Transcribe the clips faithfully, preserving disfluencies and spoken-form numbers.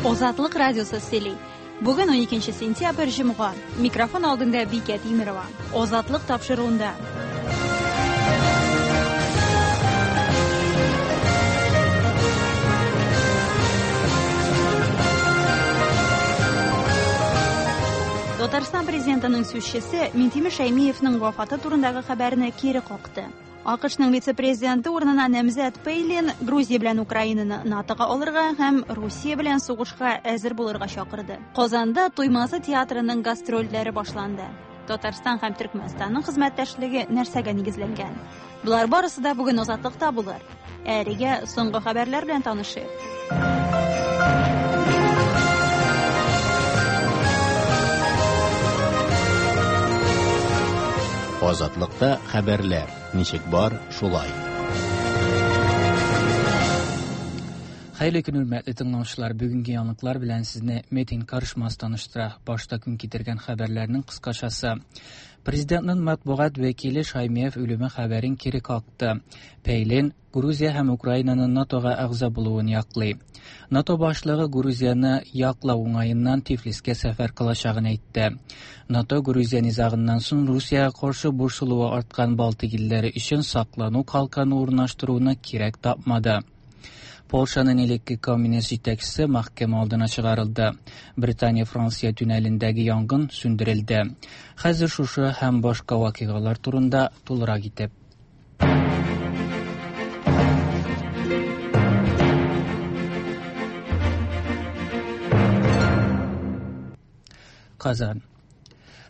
Азатлык радиосы сөйли. Бүген уникенче сентябрь, җомга. Микрофон алдында Бикә Тимерова. Азатлык тапшыруында. Татарстан президентының сүзчесе Минтимер Шәймиевның вафаты турындагы хәбәрне кире какты. АКШның вице-президенты урынына намзәт Пейлин Грузия белән Украинаны НАТОга алырга һәм Русия белән сугышка әзер булырга чакырды. Казанда Туймазы театрының гастрольләре башланды. Татарстан һәм Төркмәнстанның хезмәттәшлеге нәрсәгә нигезләнгән? Болар барысы да бүген Азатлыкта булыр. Әлегә соңгы хәбәрләр белән танышыйк. Азатлыкта хәбәрләр ничек бар, шулай. Хәерле көн, хөрмәтле тыңлаучылар. Бүгенге яңалыклар белән сезне Метин Карышмас таныштыра. Башта көн китергән хәбәрләрнең кыскачасы. Президентның матбугат вәкиле Шаймиев үлеме хәбәрен кире какты. Пейлин Грузия һәм Украинаның НАТОга әгъза булуын яклый. НАТО башлыгы Грузияны яклау уңаеннан Тифлискә сәфәр кылачагын әйтте. НАТО Грузия низагыннан соң Русиягә каршы борчылуы арткан Балтик илләре өчен саклану калканы урнаштыруны кирәк тапмады. Polşanın элекке коммунист җитәкчесе мәхкәмә алдына чыгарылды. Британия-Франция туннелендәге янгын сүндерелде. Хәзер шушы һәм башка вакыйгалар турында тулырак итеп. Казан.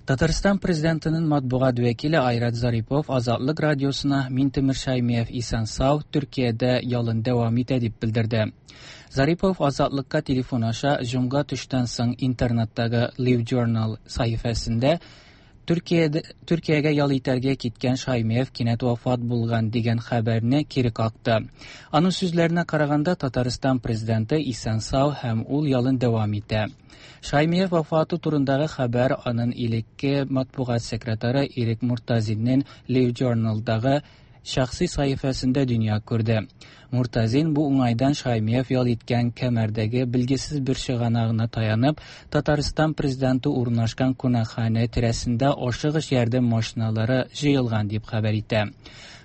Татарстан президентының матбугат вәкиле Айрат Зарипов Азатлык радиосына Минтимер Шаймиев исән сау, Төркиядә ялын дәвам итә дип белдерде. Зарипов Азатлыкка телефон аша җомга төштән соң интернеттагы Live Journal сәхифәсендә Төркиядә, Төркиягә ял итәргә киткән Шаймиев кинәт вафат булган дигән хәбәрне кире какты. Аның сүзләренә караганда, Татарстан президенты исән сау һәм ул ялын дәвам итә. Шаймиев вафаты турындагы хәбәр аның элекке матбугат секретаре Ирек Муртазинның Live Journal'дагы шәхси сәхифәсендә дөнья күрде. Муртазин бу уңайдан Шаймиев ял иткән кәмәрдәге билгесез бер чыганагына таянып, Татарстан президенты урнашкан кунакханә тирәсендә ашыгыч ярдәм машиналары җыелган дип хәбәр итә.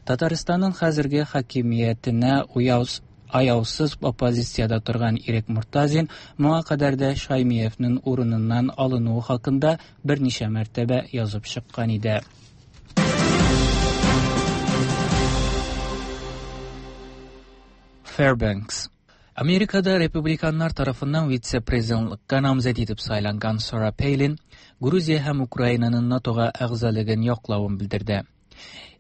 Татарстанның хәзерге хакимиятенә уяус аяусыз оппозициядә торган Ирек Муртазин моңа кадәр дә Шаймиевның урыныннан алынуы хакында берничә мәртәбә язып чыккан иде. Fairbanks. Amerikada Republikanlar tarafından vitse-prezidentlikka namzet etip saylangan Sarah Palin, Gruziya һәм Украинаның НАТОга әгъзалыгын яклавын белдерде.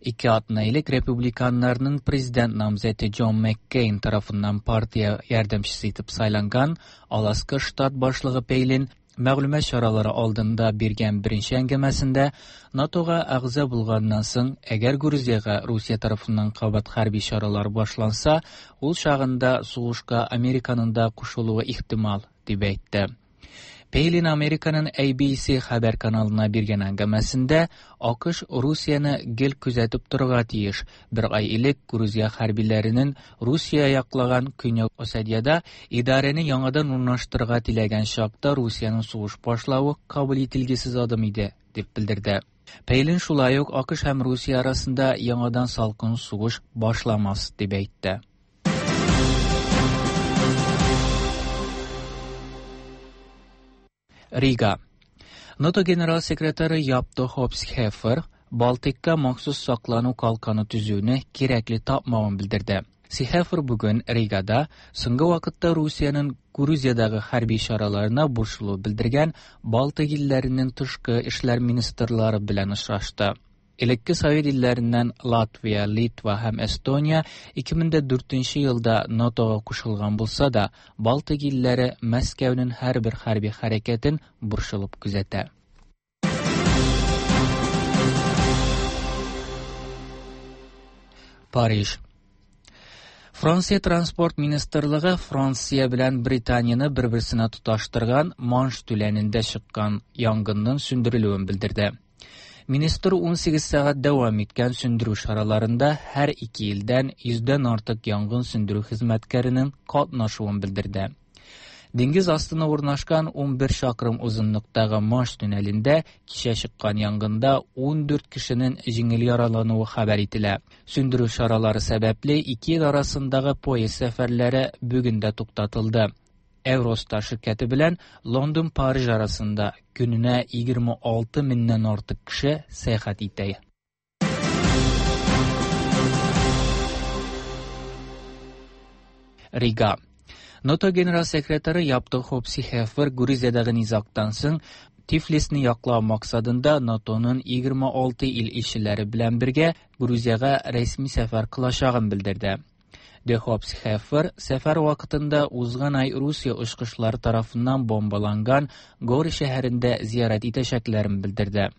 Ике атна элек Republikanlarның президент намзәте Джон Маккейн тарафыннан партия ярдәмчесе итеп сайланган Аласка штат башлыгы Пейлин мәгълүмат чаралары алдында биргән беренче әңгәмәсендә НАТОга әгъза булганнан соң, әгәр Грузиягә Русия тарафыннан кабат хәрби чаралар башланса, ул чагында сугышка Американың да кушылуы ихтимал, дип әйтте. Пейлин Американың A B C хәбәр каналына биргән әңгәмәсендә АКШ Русияне гел күзәтеп торырга тиеш. Бер ай элек Грузия хәрбиләренең Русия яклаган Көньяк Осетиядә идарәне яңадан урнаштырырга теләгән чакта Русиянең сугыш башлавы кабул ителгесез адым иде, дип белдерде. Пейлин шулай ук АКШ һәм Русия арасында яңадан салкын сугыш башламас, дип әйтте. Рига. НАТО генерал секретаре Япто Хопсхефер Балтикка махсус саклану калканы төзүне кирәкле тапмавын белдерде. Сихефер бүген Ригада соңгы вакытта Русиянең Грузиядәге хәрби чараларына борчылу белдергән Балтик илләренең тышкы эшләр министрлары белән очрашты. Элекке Совет илләреннән Латвия, Литва һәм Эстония ике мең дә дүртенче елда НАТОга кушылган булса да, Балтик илләре Мәскәүнең һәрбер хәрби хәрәкәтен борчылып күзәтә. Париж. Франция Транспорт Министрлыгы Франция белән Британияне бер-берсенә тоташтырган Манш түләнендә чыккан янгынның сүндерелүен белдерде. Министр ун сигез сәгать дәвам иткән сүндерү чараларында һәр ике илдән йөздән артык янгын сүндерү хезмәткәренең катнашуын белдерде. Диңгез астына урнашкан ун бер чакрым озынлыктагы Манш туннелендә кичә чыккан янгында ун дүрт кешенең җиңел яралануы хәбәр ителә. Сүндерү чаралары сәбәпле ике ил арасындагы поезд сәфәрләре бүген дә туктатылды. Eurostar ширкәте белән Лондон-Париж арасында көненә егерме алты меңнән артык кеше сәяхәт итә. Рига. НАТО генерал секретары Яптык Хопси Хефер Грузиядагы низактан соң Тифлисны яклау максатында НАТОның егерме алты ил илчеләре белән бергә Грузиягә рәсми сәфәр кылачагын белдерде. Де Хопси Хефер сәфәр вакытында узган ай Русия очкычлары тарафыннан бомбаланган Гори шәһәрендә зиярәт итәчәкләрен белдерде.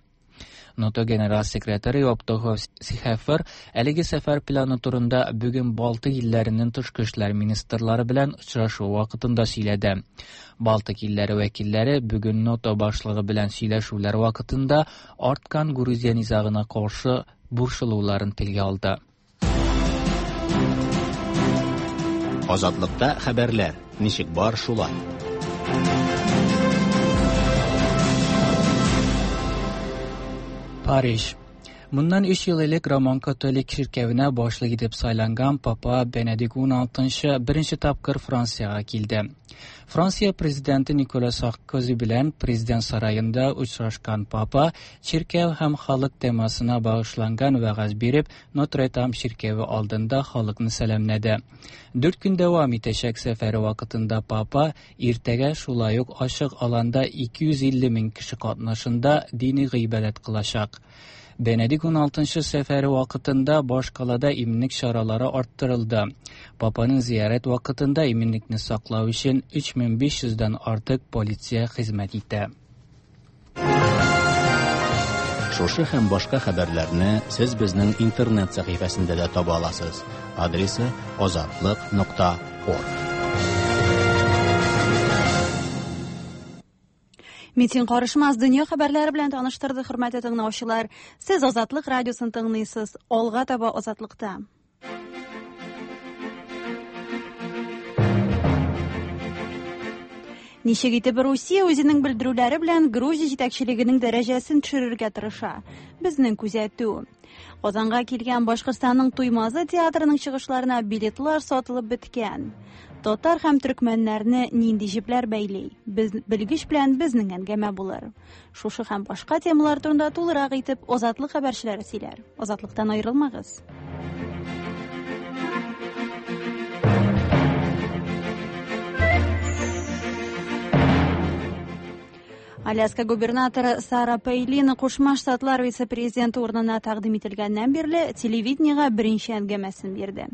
НАТО генерал секретаре Яптык Хопси Хефер әлеге сәфәр планы турында бүген Балтык илләренең тышкы эшләр министрлары белән очрашу вакытында сөйләде. Балтык илләре вәкилләре бүген НАТО башлыгы белән сөйләшүләр вакытында арткан Грузия низагына каршы борчылуларын телгә алды. Азатлыкта хәбәрләр ничек бар шулай. Париж. Bundan üç yıl элек Роман католик чиркәвенә башлык итеп сайланган Папа Бенедикт ун алтынчы беренче тапкыр Франциягә килде. Франция президенты Никола Саркози белән президент сараенда очрашкан Папа чиркәү һәм халык темасына багышланган вәгазь биреп, Нотр-Дам чиркәве алдында халыкны сәламләде. Дүрт көн дәвам итәчәк сәфәре вакытында Папа иртәгә шулай ук ачык аланда ике йөз илле мең кеше катнашында дини гыйбадәт кылачак. Бенедикт ун алтынчы сәфәре вакытында башкалада иминлек чаралары арттырылды. Папаның зиярәт вакытында иминлекне саклау өчен өч мең биш йөздән артык полиция хезмәт итә. Шушы һәм башка хәбәрләрне сез безнең интернет сәхифәсендә дә таба аласыз. Адресы азатлык нокта орг. Митинг карышмас дөнья хәбәрләре белән таныштырды, хөрмәтле тыңлаучылар. Сез Азатлык радиосын тыңлыйсыз. Алга таба Азатлыкта. Ничек итеп Русия үзенең белдерүләре белән Грузия җитәкчелегенең дәрәҗәсен төшерергә тырыша? Безнең күзәтү. Казанга килгән Башкортстанның Туймазы театрының чыгышларына билетлар сатылып беткән. Татар һәм төркмәннәрне нинди җепләр бәйли? Без белгеч белән безнең әңгәмә булыр. Шушы һәм башка темалар турында тулырак итеп Азатлык хәбәрчеләре сөйләр. Азатлыктан аерылмагыз. Аляска губернаторы Сара Пейлин Кушма Штатлар вице-президенты урынына тәкъдим ителгәннән бирле телевидениегә беренче әңгәмәсен бирде.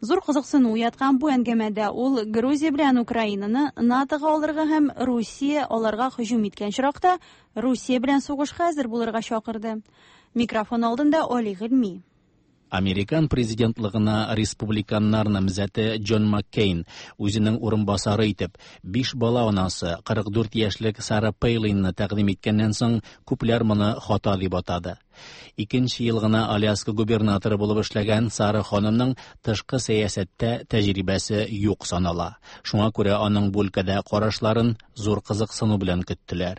Зур кызыксыну уяткан бу әңгәмәдә ул Грузия белән Украинаны НАТОга алырга һәм Русия аларга һөҗүм иткән очракта Русия белән сугышка әзер булырга чакырды. Микрофон алдында Али Гыйльми. Американ президентлыгына республиканнар намзәте Джон Маккейн үзенең урынбасары итеп биш бала анасы кырык дүрт яшьлек Сара Пейлинны тәкъдим иткәннән соң күпләр моны хата дип атады. Икенче ел гына Аляска губернаторы булып эшләгән Сара ханымның тышкы сәясәттә тәҗрибәсе юк санала. Шуңа күрә аның бу өлкәдә карашларын зур кызыксыну белән көттеләр.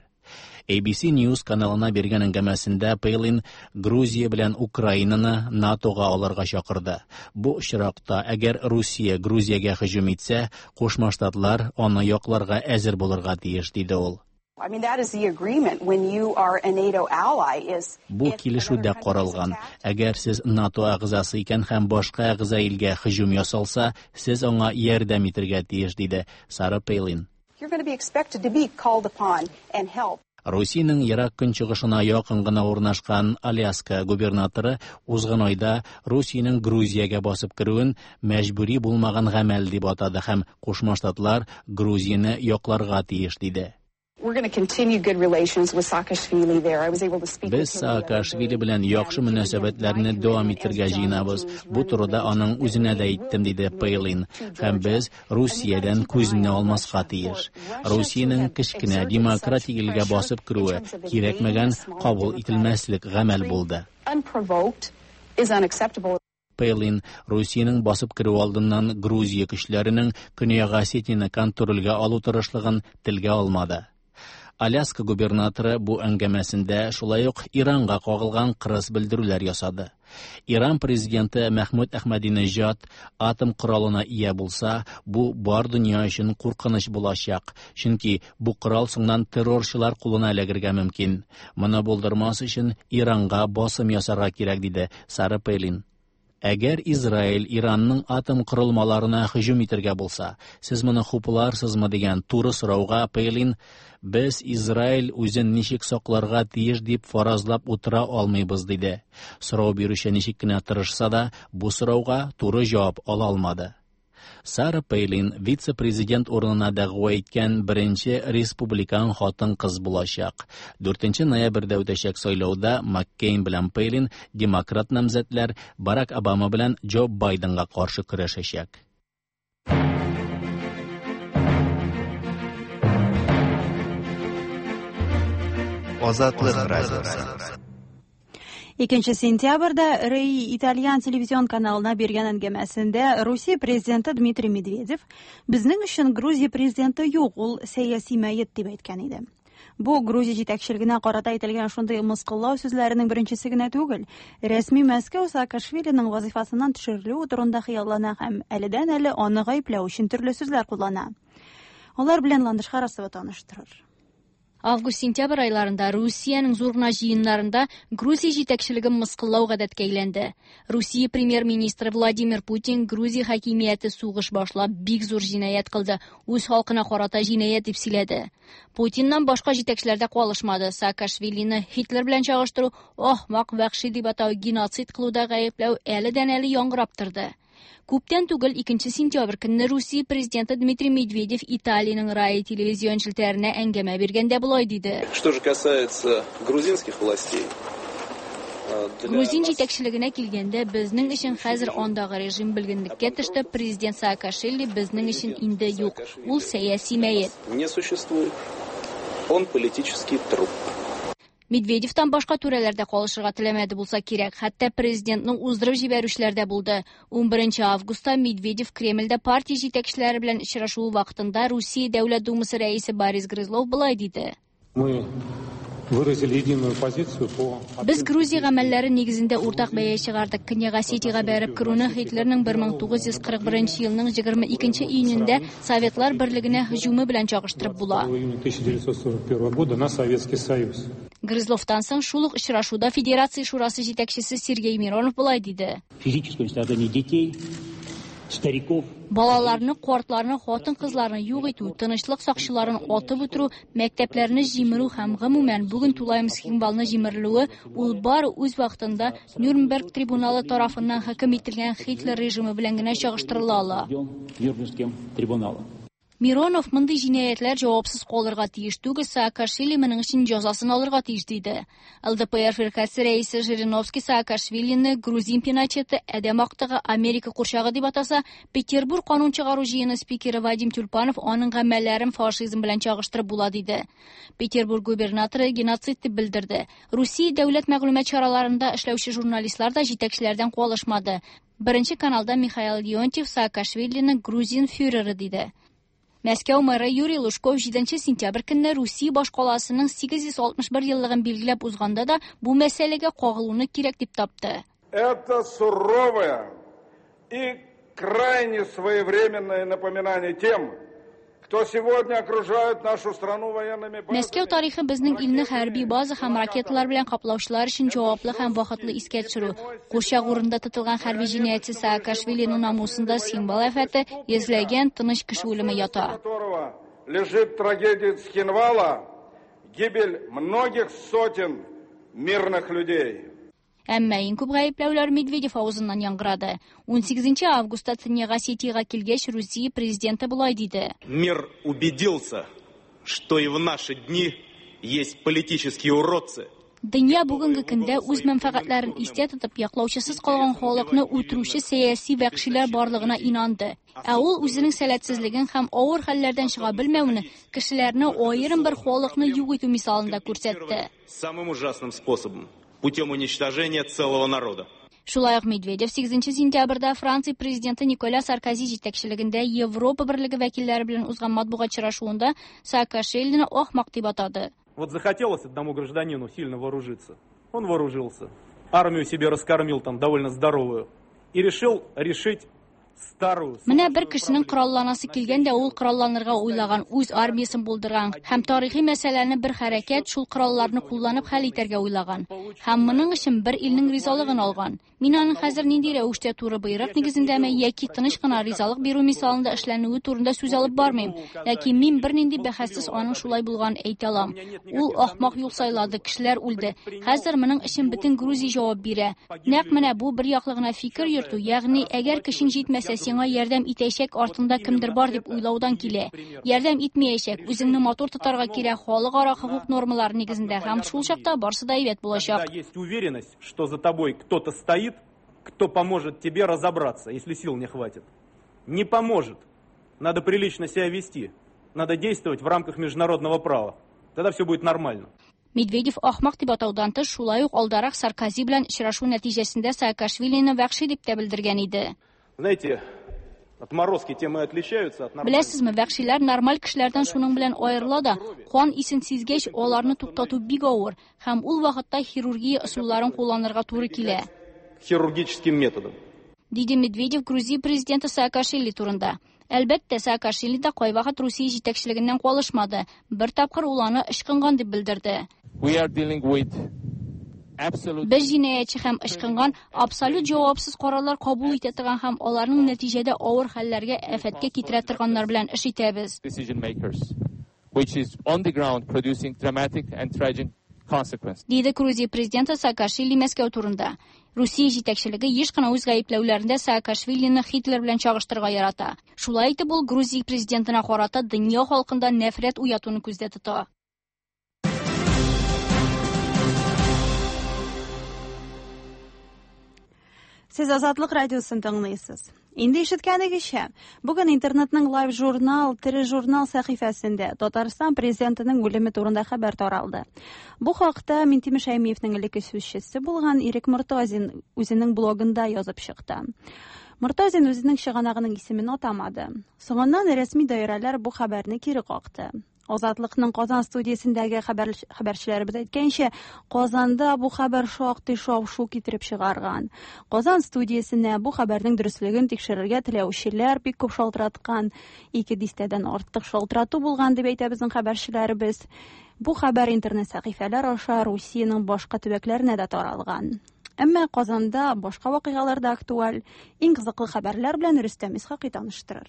A B C News каналына биргән әңгәмәсендә Пейлин Грузия белән Украинаны НАТОга алырга чакырды. Бу очракта, әгәр Русия Грузиягә һөҗүм итсә, Кушма Штатлар аны якларга әзер булырга тиеш, диде ул. I mean, that is the agreement when you are a NATO ally is Бу килешүдә каралган. Әгәр сез НАТО әгъзасы икән һәм башка әгъза илгә һөҗүм ясалса, сез аңа ярдәм итәргә тиеш, диде Сара Пейлин. You're going to be expected to be called upon and help. Русиянең ерак көнчыгышына якын гына урнашкан Аляска губернаторы узган айда Русиянең Грузиягә басып керүен мәҗбүри булмаган гамәл дип атады һәм Кушма Штатлар Грузияне якларга тиеш, диде. We're going to continue good relations with Saakashvili there. I was able to speak Без with him the other Саакашвили day. белән яхшы мөнәсәбәтләрне дәвам итәргә җыенабыз. Бу турыда аның үзенә дә әйттем, диде Пейлин. Һәм без Русиядән күзне алмаска тиеш. Русиянең кечкенә демократик илгә басып керүе кирәкмәгән кабул ителмәслек гамәл булды. Unprovoked is unacceptable. Пейлин Русиянең басып керү алдыннан Грузия көчләренең Көньяк Осетияне контрольгә алу тырышлыгын телгә алмады. Аляска губернаторы бу әңгәмәсендә шулай ук Иранга кагылган кырыс белдерүләр ясады. Иран президенты Мәхмүд Әхмәдинежад атом коралына ия булса, бу бар дөнья өчен куркыныч булачак, чөнки бу корал соңыннан террорчылар кулына эләгергә мөмкин. Моны булдырмас өчен Иранга басым ясарга кирәк, диде Сара Пейлин. Әгәр Израиль Иранның атом корылмаларына һөҗүм итергә булса, сез моны хупларсызмы дигән туры сорауга Пейлин без Израиль үзен ничек сакларга тиеш дип фаразлап утыра алмыйбыз, диде. Сорау бирүче ничек кенә тырышса да, бу сорауга туры җавап ала алмады. Сара Пейлин вице-президент урынына дәгъва иткән беренче республикан хатын-кыз булачак. дүртенче ноябрьдә үтәчәк сайлауда Маккейн белән Пейлин демократ намзәтләр Барак Обама белән Джо Байденга каршы көрәшәчәк. Азатлык радиосы. Икенче сентябрьдә РАИ итальян телевизион каналына биргән әңгәмәсендә Русия президенты Дмитрий Медведев безнең өчен Грузия президенты юк, ул сәяси мәет дип әйткән иде. Бу Грузия җитәкчелегенә карата әйтелгән шундый мыскыллау сүзләренең беренчесе генә түгел. Рәсми Мәскәү Саакашвилиның вазифасыннан төшерелүе турында хыяллана һәм әледән-әле аны гаепләү өчен төрле сүзләр куллана. Алар белән Ландыш Харасова таныштырыр. Август-сентябрь айларында Русиянең зур гына җыеннарында Грузия җитәкчелеген мыскыллау гадәткә әйләнде. Русия премьер-министры Владимир Путин Грузия хакимияте сугыш башлап бик зур җинаять кылды, үз халкына карата җинаять дип сөйләде. Путиннан башка җитәкчеләр дә калышмады. Саакашвилины Һитлер белән чагыштыру, ахмак, вәхши дип атау, геноцид кылуда гаепләү әледән-әле яңгырап торды. Күптән түгел икенче сентябрь көнне Русия президенты Дмитрий Медведев Италиянең РАИ телевизион челтәренә әңгәмә биргәндә болай диде. Что же касается грузинских властей, Грузин җитәкчелегенә килгәндә, безнең өчен хәзер андагы режим белгенлеккә төште, президент Саакашвили безнең өчен инде юк, ул сәяси мәет. Не существует. Он политический труп. Медведевтан башка түрәләр дә калышырга теләмәде булса кирәк, хәтта президентның уздырып җибәрүчеләр дә булды. Унберенче августта Медведев Кремльдә партия җитәкчеләре белән очрашуы вакытында Русия Дәүләт Думасы рәисе Борис Грызлов болай диде. Мы выразили единую позицию по Без Грузия гамәлләре нигезендә уртак бәя чыгардык. Көньяк Осетиягә бәреп керүне Һитлерның бер мең тугыз йөз кырык беренче елның егерме икенче июнендә Советлар Берлегенә һөҗүме белән чагыштырып була. тысяча девятьсот сорок первого года на Советский Союз. Грызловтан соң шул ук очрашуда Федерация Шурасы җитәкчесе Сергей Миронов болай диде. Физическое уничтожение детей, стариков, Балаларны, картларны, хатын-кызларны юк итү, тынычлык сакчыларын атып үтерү, мәктәпләрне җимерү һәм гомумән бүген тулаем Цхинвалны җимерелүе ул бары үз вакытында Нюрнберг трибуналы тарафыннан хөкем ителгән Һитлер режимы белән генә чагыштырыла ала. Нюрнбергским трибуналом. Миронов мондый җинаятьләр җавапсыз калырга тиеш түгел, Саакашвили моның өчен җәзасын алырга тиеш диде. Эл Дэ Пэ Эр фиркасе рәисе Жириновский Саакашвилины грузин Пиночеты, адәм актыгы, Америка курчагы дип атаса, Петербург канун чыгару җыены спикеры Вадим Тюльпанов аның гамәлләрен фашизм белән чагыштырып була диде. Петербург губернаторы геноцид дип белдерде. Русия дәүләт мәгълүмат чараларында эшләүче журналистлар да җитәкчеләрдән калышмады. Беренче каналда Михаил Леонтьев Саакашвилины грузин фюреры диде. Мәскәү мэры Юрий Лужков җиденче сентябрь көнне Русия башкаласының сигез йөз алтмыш бер еллыгын билгеләп узганда да бу мәсьәләгә кагылуны кирәк дип тапты. Это суровое и крайне своевременное напоминание тем, кто сегодня окружает нашу страну военными базами. Мәскәү тарихы безнең илне хәрби база һәм ракеталар белән каплаучылар өчен җаваплы һәм вакытлы искә төшерү. Курчак урында тотылган хәрби җинаятьче Саакашвилиның намусында Цхинвал афәте йөзләгән тыныч кеше үлеме ята. Лежит трагедия Цхинвала, гибель многих сотен мирных людей. Әмма иң күп гаепләүләр Медведев авызыннан яңгырады. Унсигезенче августта Төньяк Осетиягә килгәч, Русия президенты болай диде. Мир убедился, что и в наши дни есть политические уродцы. Дөнья бүгенге көндә үз мәнфәгатьләрен истә тотып, яклаучысыз калган халыкны үтерүче сәяси вәхшиләр барлыгына инанды. Ә ул үзенең сәләтсезлеген һәм авыр хәлләрдән чыга белмәвен кешеләрне аерым бер халыкны юк итү мисалында күрсәтте. Самым ужасным способом, путем уничтожения целого народа. Шулай ук Медведев сигезенче сентябрьдә Франция президенты Николя Саркози җитәкчелегендә Европа берлеге вәкилләре белән узган матбугат очрашуында Саакашвилины ахмак дип атады. Вот захотелось одному гражданину сильно вооружиться. Он вооружился. Армию себе раскормил там довольно здоровую. И решил решить старую. Менә бер кешенең коралланасы килгән дә, ул коралланырга уйлаган, үз армиясын булдырган һәм тарихи мәсьәләне бер хәрәкәт шул коралларны кулланып хәл итәргә уйлаган. Һәм моның өчен бер илнең ризалыгын алган. Мин аның хәзер нинди рәвештә туры боерык нигезендәме яки тыныч кына ризалык бирү мисалында эшләнүе турында сүз алып бармыйм. Ләкин мин бернинди бәхәссез аның шулай булганын әйтә алам. Ул ахмак юл сайлады, кешеләр үлде. Хәзер моның өчен бөтен Грузия җавап бирә. Нәкъ менә бу бер яклы гына фикер йөртү, ягъни әгәр кешең җитмәсә, сиңа ярдәм итәчәк артында кемдер бар дип уйлаудан килә. Ярдәм итмәячәк, үзеңне матур тотарга кирәк халыкара хукук нормалары нигезендә һәм шул чакта барсы да әйбәт булачак. Есть уверенность, что за тобой кто-то стоит, кто поможет тебе разобраться, если сил не хватит. Не поможет. Надо прилично себя вести. Надо действовать в рамках международного права. Тогда все будет нормально. Медведев ахмак дип атаудан тыш, шулай ук алдарак Саркози белән очрашу нәтиҗәсендә Саакашвилины вәхши дип тә белдергән иде. Знаете, отморозки тем и отличаются от нормальных. Беләсезме, вәхшиләр нормаль кешеләрдән шуның белән аерыла да, кан исен сизгәч, аларны туктату бик авыр, һәм ул вакытта хирургия ысулларын кулланырга туры килә. Хирургическим методом. Диде Медведев Грузия президенты Саакашвили турында. Әлбәттә, Саакашвили дә кайвакыт Русия җитәкчелегеннән калышмады. Бер тапкыр ул аны ычкынган дип белдерде. We are dealing with absolute Без җинаятьче һәм ычкынган абсолют җавапсыз карарлар кабул итә торган һәм аларның нәтиҗәдә авыр хәлләргә, афәткә китерә торганнар белән эш итәбез. decision makers, which is on the ground producing dramatic and tragic consequences. Диде Грузия президенты Саакашвили Мәскәү турында. Русия җитәкчелеге еш кына үз гаепләүләрендә Саакашвилины Хитлер белән чагыштырырга ярата. Шулай итеп, ул Грузия президентына карата дөнья халкында нәфрәт уятуны күздә тота. Сез Азатлык радиосын тыңлыйсыз. Инде ишеткәнегезчә, бүген интернетның Live журнал, тере журнал сәхифәсендә Татарстан президентының үлеме турында хәбәр таралды. Бу хакта Минтимер Шәймиевнең элекке сүзчесе булган Ирек Мортазин үзенең блогында язып чыкты. Мортазин үзенең чыганагының исемен атамады. Соңыннан рәсми даирәләр бу хәбәрне кире какты. Азатлыкның Казан студиясендәге хәбәр, хәбәрчеләребез әйткәнчә, Казанда бу хәбәр шактый шау-шу китереп чыгарган. Казан студиясенә бу хәбәрнең дөреслеген тикшерергә теләүчеләр бик күп шалтыраткан. Ике дистәдән артык шалтырату булган дип әйтә безнең хәбәрчеләребез. Бу хәбәр интернет сәхифәләр аша Русиянең башка төбәкләренә дә таралган. Әмма Казанда башка вакыйгалар да актуаль. Иң кызыклы хәбәрләр белән Рөстәм Исхакый таныштырыр.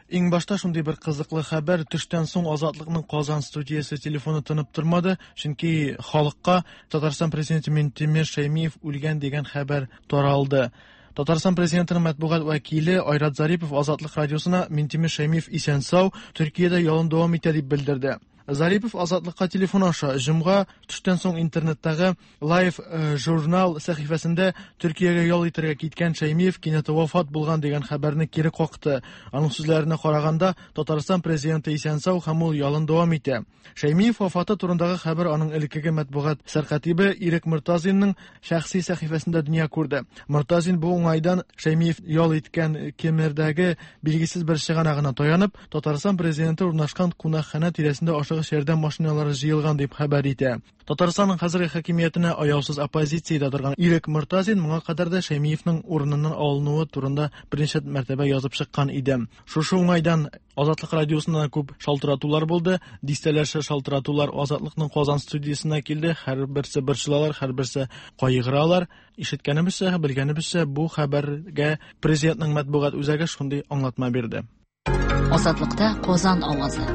Иң башта шундый бер кызыклы хәбәр: төштән соң Азатлыкның Казан студиясе телефоны тынып тормады, чөнки халыкка Татарстан президенты Минтимер Шәймиев үлгән дигән хәбәр таралды. Татарстан президентының матбугат вәкиле Айрат Зарипов Азатлык радиосына Минтимер Шәймиев исән-сау, Төркиядә ялын дәвам итә дип белдерде. Зарипов Азатлыкка телефон аша җомга төштән соң интернеттагы Live журнал сәхифәсендә Төркиягә ял итәргә киткән Шәймиев кинәт вафат булган дигән хәбәрне кире какты. Аның сүзләренә караганда, Татарстан президенты исән-сау һәм ул ялын дәвам итә. Шәймиев вафаты турындагы хәбәр аның элеккеге матбугат сәркатибе Ирек Мортазинның шәхси сәхифәсендә дөнья күрде. Мортазин бу уңайдан Шәймиев ял иткән Кемердәге билгесез бер чыганагына таянып, Татарстан президенты урнашкан кунакханә тирәсендә ашыгыч ярдәм машиналары җыелган дип хәбәр итә. Татарстанның хәзерге хакимиятенә аяусыз оппозициядә торган Ирек Мортазин моңа кадәр дә Шәймиевнең урыныннан алынуы турында берничә мәртәбә язып чыккан иде. Шушы уңайдан Азатлык радиосына күп шалтыратулар булды. Дистәләрчә шалтыратулар Азатлыкның Казан студиясенә килде. Һәрберсе борчылалар, һәрберсе кайгыралар. Ишеткәнебезчә, белгәнебезчә, бу хәбәргә президентның матбугат үзәге шундый аңлатма бирде. Азатлыкта Казан авазы.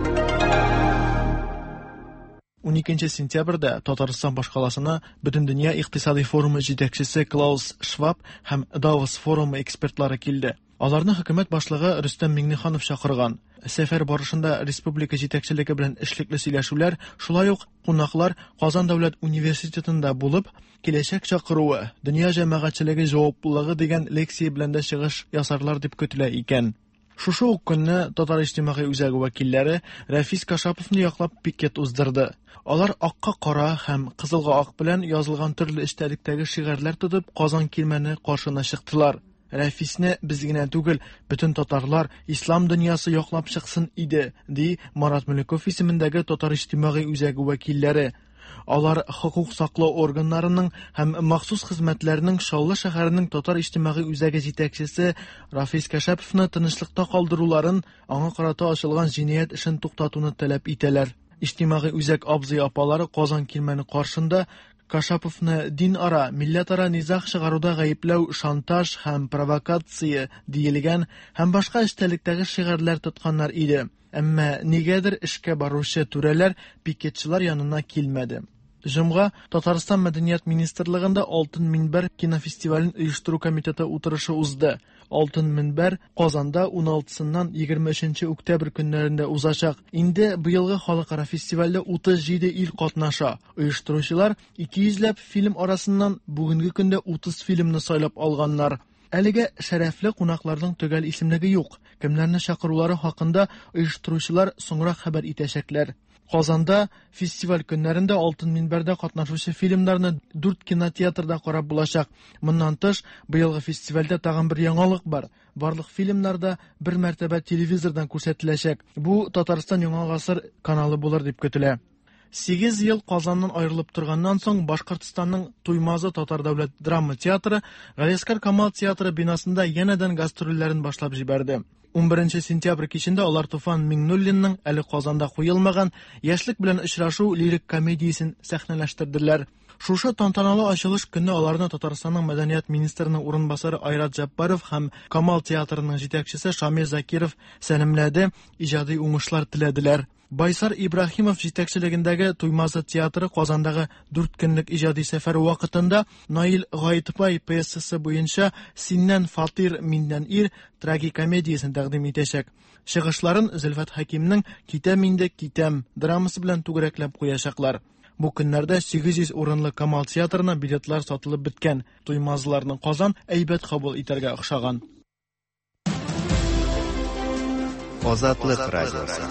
Уникенче сентябрьдә Татарстан башкаласына Бөтендөнья икътисади форумы җитәкчесе Клаус Шваб һәм Давос форумы экспертлары килде. Аларны хөкүмәт башлыгы Рөстәм Миңнеханов чакырган. Сәфәр барышында республика җитәкчелеге белән эшлекле сөйләшүләр, шулай ук кунаклар Казан дәүләт университетында булып, киләчәк чакыруы, дөнья җәмәгатьчелеге җаваплылыгы дигән лекция белән дә чыгыш ясарлар дип көтелә икән. Шушы ук көнне Татар иҗтимагый үзәге вәкилләре Рәфис Кашаповны яклап пикет уздырды. Алар акка кара һәм кызылга ак белән язылган төрле эчтәлектәге шигарьләр тотып Казан кирмәне каршына чыктылар. Рәфисне без генә түгел, бөтен татарлар, ислам дөньясы яклап чыксын иде, ди Марат Мөлеков исемендәге Татар иҗтимагый үзәге вәкилләре. Алар хокук саклау органнарының һәм махсус хезмәтләренең Чаллы шәһәренең Татар иҗтимагый үзәге җитәкчесе Рафис Кашаповны тынычлыкта калдыруларын, аңа карата ачылган җинаять эшен туктатуны таләп итәләр. Иҗтимагый үзәк абзый апалары Казан кирмәне каршында Кашаповны дин-ара, милләтара низаг чыгаруда гаепләү, шантаж һәм провокация диелгән һәм башка эчтәлектәге шигарьләр тотканнар иде. Әмма нигәдер эшкә баручы түрәләр пикетчылар янына килмәде. Җомга Татарстан Мәдәният министрлыгында Алтын минбәр кинофестивален оештыру комитеты утырышы узды. Алтын минбәр Казанда ун алтысыннан егерме өченче октябрь көннәрендә узачак. Инде быелгы халыкара фестивальдә утыз җиде ил катнаша. Оештыручылар ике йөзләп фильм арасыннан бүгенге көндә утыз фильмны сайлап алганнар. Әлегә шәрәфле кунакларның төгәл исемлеге юк. Кемнәрне чакырулары хакында оештыручылар соңрак хәбәр итәчәкләр. Казанда фестиваль көннәрендә Алтын минбәрдә катнашучы фильмнарны дүрт кинотеатрда карап булачак. Моннан тыш, быелгы фестивальдә тагын бер яңалык бар. Барлык фильмнар да бер мәртәбә телевизордан күрсәтеләчәк. Бу Татарстан Яңа гасыр каналы булыр дип көтелә. Сигез ел Казаннан аерылып торганнан соң Башкортстанның Туймазы Татар дәүләт драма театры Галиәсгар Камал театры бинасында янәдән гастрольләрен башлап җибәрде. ун беренче сентябрь кичендә алар Туфан Миңнуллинның әле Казанда куелмаган Яшьлек белән очрашу лирик комедиясен сәхнәләштерделәр. Шушы тантаналы ачылыш көнне аларны Татарстанның мәдәният министрының урынбасары Айрат Җаббаров һәм Камал театрының җитәкчесе Шамил Закиров сәламләде, иҗади уңышлар теләделәр. Байсар Ибраһимов җитәкчелегендәге Туймазы театры Казандагы дүрт көнлек иҗади сәфәре вакытында Наил Гаитбай пьесасы буенча Синнән фатир, миннән ир трагикомедиясен тәкъдим итәчәк. Чыгышларын Зөлфәт Хәкимнең Китәм инде, китәм драмасы белән түгәрәкләп куячаклар. Бу көннәрдә сигез йөз урынлы Камал театрына билетлар сатылып беткән. Туймазыларның Казан әйбәт кабул итәргә охшаган. Азатлык радиосы.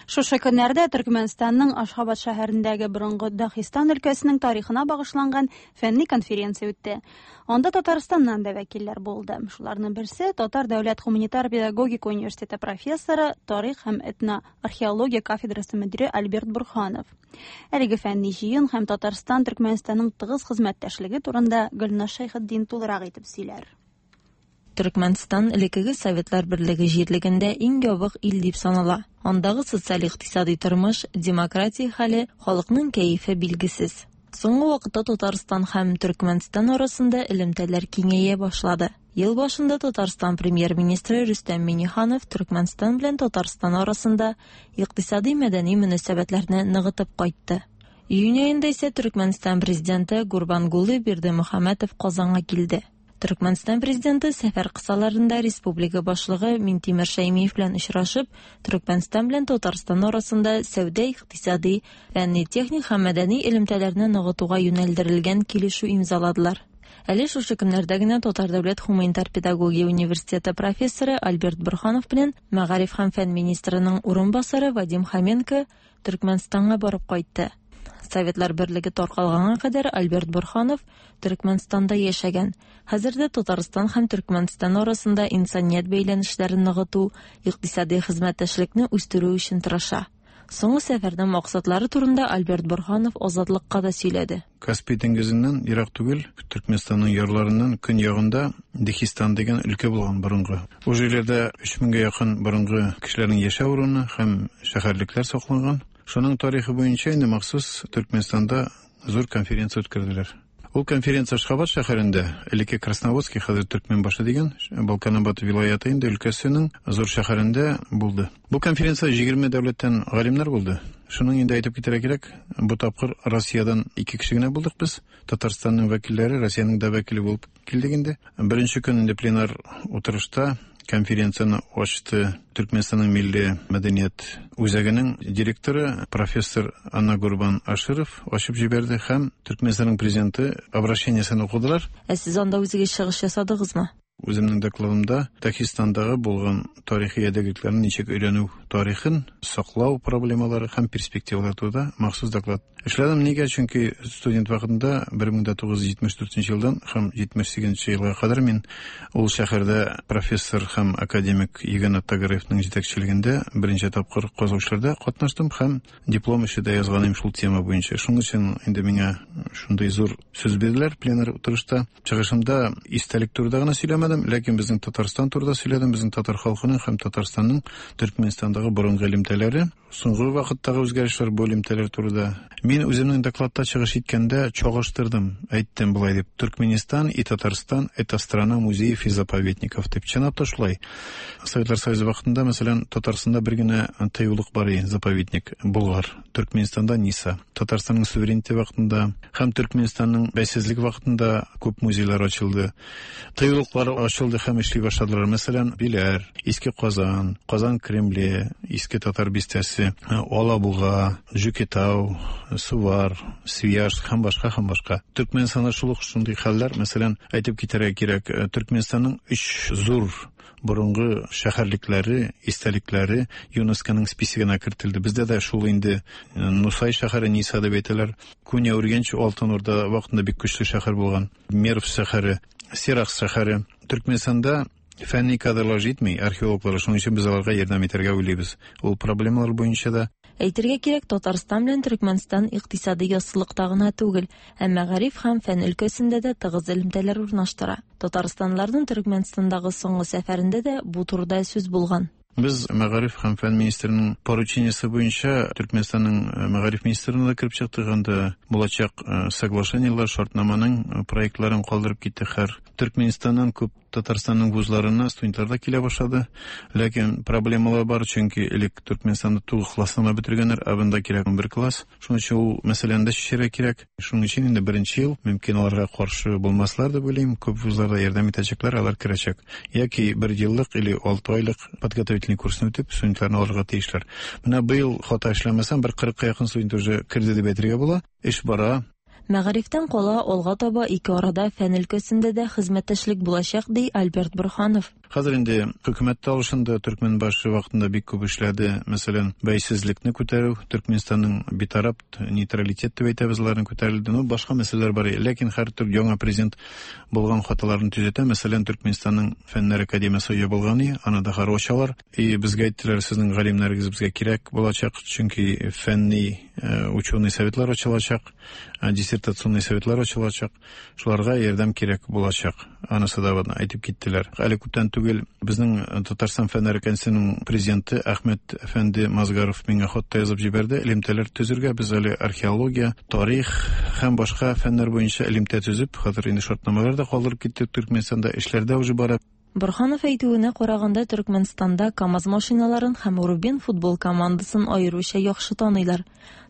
Шушы көннәрдә Төркмәнстанның Ашхабад шәһәрендәге борынгы Дагыстан өлкәсенең тарихына багышланган фәнни конференция үтте. Анда Татарстаннан да вәкилләр булды. Шуларның берсе Татар дәүләт гуманитар педагогика университеты профессоры, тарих һәм этноархеология кафедрасы мөдире Альберт Бурханов. Әлеге фәнни җыен һәм Татарстан Төркмәнстанның тыгыз хезмәттәшлеге турында Гөлназ Шәйхетдин тулырак итеп сөйләр. Төркмәнстан элеккеге Советлар Берлеге җирлегендә иң ябык ил дип санала. Андагы социаль-икътисади тормыш, демократия хәле, халыкның кәефе билгесез. Соңгы вакытта Татарстан һәм Төркмәнстан арасында элемтәләр киңәя башлады. Ел башында Татарстан премьер-министры Рөстәм Миңнеханов Төркмәнстан белән Татарстан арасында икътисади мәдәни мөнәсәбәтләрне ныгытып кайтты. Июнь аенда исә Төркмәнстан президенты Гурбангулы Бердымөхәммәтов Казанга килде. Төркмәнстан президенты сәфәр кысаларында республика башлыгы Минтимер Шәймиев белән очрашып, Төркмәнстан белән Татарстан арасында сәүдә, икътисади, фәнни-техник һәм мәдәни элемтәләрне ныгытуга юнәлдерелгән килешү имзаладылар. Әле шушы көннәрдә генә Татар дәүләт гуманитар педагогия университеты профессоры Альберт Бурханов белән мәгариф һәм фән министрының урынбасары Вадим Хоменко Төркмәнстанга барып кайтты. Советлар Берлеге таркалганга кадәр Альберт Бурханов Төркмәнстанда яшәгән. Хәзер дә Татарстан һәм Төркмәнстан арасында инсаният бәйләнешләрен ныгыту, икътисади хезмәттәшлекне үстерү өчен тырыша. Соңгы сәфәрнең максатлары турында Альберт Бурханов Азатлыкка да сөйләде. Каспий диңгезеннән ерак түгел, Төркмәнстанның ярларыннан көньягында Дехистан дигән өлкә булган борынгы. Ул җирләрдә өч меңгә якын борынгы кешеләрнең яшәү урыны һәм шәһәрлекләр сакланган. Шуның тарихы буенча инде махсус Төркмәнстанда зур конференция үткәрделәр. Ул конференция Ашхабад шәһәрендә, элекке Красноводский, хәзер Төркмәнбашы дигән Балканабад вилаяты инде өлкәсенең зур шәһәрендә булды. Бу конференция егерме дәүләттән галимнәр булды. Шуның инде әйтеп китәргә кирәк, бу тапкыр Россиядән ике кеше генә булдык без. Татарстанның вәкилләре, Россиянең дә вәкиле булып килдек инде. Беренче көн инде пленар утырышта Конференцияне ачты Төркменистанның милли мәдәният үзәгенең директоры профессор Анна Гурбан Аширов ачып җибәрде һәм Төркменистанның президенты обращениесен укыдылар. Ә сез анда үзегез чыгыш ясадыгызмы? Үземнең докладымда Дагестандагы булган тарихи ядегәрлекләрне ничек өйрәнү тарихын, саклау проблемалары һәм перспективалары турында махсус доклад эшләдем. Нигә? Чөнки студент вакытында бер мең тугыз йөз җитмеш дүртенче елдан һәм җитмеш сигезенче елга кадәр мин ул шәһәрдә профессор һәм академик Еган Тагараевның җитәкчелегендә беренче тапкыр казучыларда катнаштым һәм диплом эше дә язган идем шул тема буенча. Шуның өчен инде миңа шундый зур сүз бирделәр пленар утырышта. Чыгышымда истәлек турында гына сөйләмәдем, ләкин безнең Татарстан турында сөйләдем, безнең татар халкының һәм Татарстанның Төркменистандагы борынгы элемтәләре, соңгы вакыттагы үзгәрешләр бу элемтәләр турында. Мин үземнең докладта чыгыш иткәндә чагыштырдым, әйттем болай дип: Төркменистан и Татарстан это страна музеев и заповедников дип. Чынлап та шулай. Советлар Союзы вакытында, мәсәлән, Татарстанда бер генә тыюлык бар иде, заповедник Болгар, Төркменистанда Ниса. Татарстанның суверенитеты вакытында һәм Төркменистанның бәйсезлек вакытында күп музейлар ачылды. Тыюлыклар ачылды һәм эшли башладылар. Мәсәлән, Биләр, Иске Казан, Казан Кремле, Иске Татар бистәсе, Алабуга, Җүкетау, Сувар, Свияжск һәм башка һәм башка. Төркменистанда шул ук шундый хәлләр, мәсәлән, әйтеп китәргә кирәк, Төркменистанның өч зур борынгы шәһәрлекләре, истәлекләре ЮНЕСКОның списогына кертелде. Бездә дә шул инде Нусай шәһәре, Ниса дип әйтәләр. Куня Үргәнч Алтын Урда вакытында бик көчле шәһәр булган. Мерв шәһәре, Сиракс шәһәре. Төркменистанда фәнни кадрлар җитми, археологлар, шуның өчен без аларга ярдәм итәргә уйлыйбыз. Ул проблемалар буенча да. Әйтергә кирәк, Татарстан белән Төркмәнстан икътисади яссылыкта гына түгел, ә мәгариф һәм фән өлкәсендә дә тыгыз элемтәләр урнаштыра. Татарстанларның Төркмәнстандагы соңгы сәфәрендә дә бу турыда сүз булган. Без мәгариф һәм фән министрының поручениесе буенча Төркмәнстанның мәгариф министрына да кереп чыктык, анда булачак соглашениелар, шартнаманың проектларын калдырып киттек. Һәр Төркмәнстаннан күп Татарстанның вузларына студентлар да килә башлады. Ләкин проблемалар бар, чөнки элек Төркмәнстанда тугыз классны гына бетергәннәр, ә бында кирәк унбер класс. Шуның өчен ул мәсьәләне дә чишәргә кирәк. Шуның өчен инде беренче ел мөмкин аларга каршы булмаслар дип уйлыйм. Күп вузларда ярдәм итәчәкләр, алар керәчәк. Яки бер еллык или алты айлык подготовительный курсны үтеп, студентларны алырга тиешләр. Менә быел хата эшләмәсәм, бер кырыкка якын студент уже керде дип әйтергә була. Эш бара. Мәгарифтән кала алга таба ике арада фән өлкәсендә дә хезмәттәшлек булачак, ди Альберт Борһанов. Хәзер инде хөкүмәт тә алышынды, Төркмәнбашы вакытында бик күп эшләде. Мәсәлән, бәйсезлекне күтәрү, Төркмәнстанның битараф нейтралитет дип әйтәбез, аларны күтәрелде. Ну, башка мәсьәләләр бар. Ләкин һәр төр яңа президент булган хаталарын төзәтә. Мәсәлән, Төркмәнстанның Фәннәр академиясе ябылган, аны да хәзер ачалар. И безгә әйттеләр, сезнең галимнәрегез безгә кирәк булачак, чөнки фәнни ученый советлар ачылачак, диссертационный советлар ачылачак, шуларга ярдәм кирәк булачак. Анысы да әйтеп киттеләр. Әле күптән түгел безнең Татарстан Фәннәр академиясенең президенты Әхмәт әфәнде Мазгаров миңа хат та язып җибәрде. Элемтәләр төзергә без әле археология, тарих һәм башка фәннәр буенча элемтә төзеп, хәзер инде шартнамалар да калдырып киттек. Төркмәнстанда эшләр дә уже бара. Борһанов әйтүенә караганда, Төркмәнстанда КАМАЗ машиналарын һәм Рубин футбол командасын аеруча яхшы таныйлар.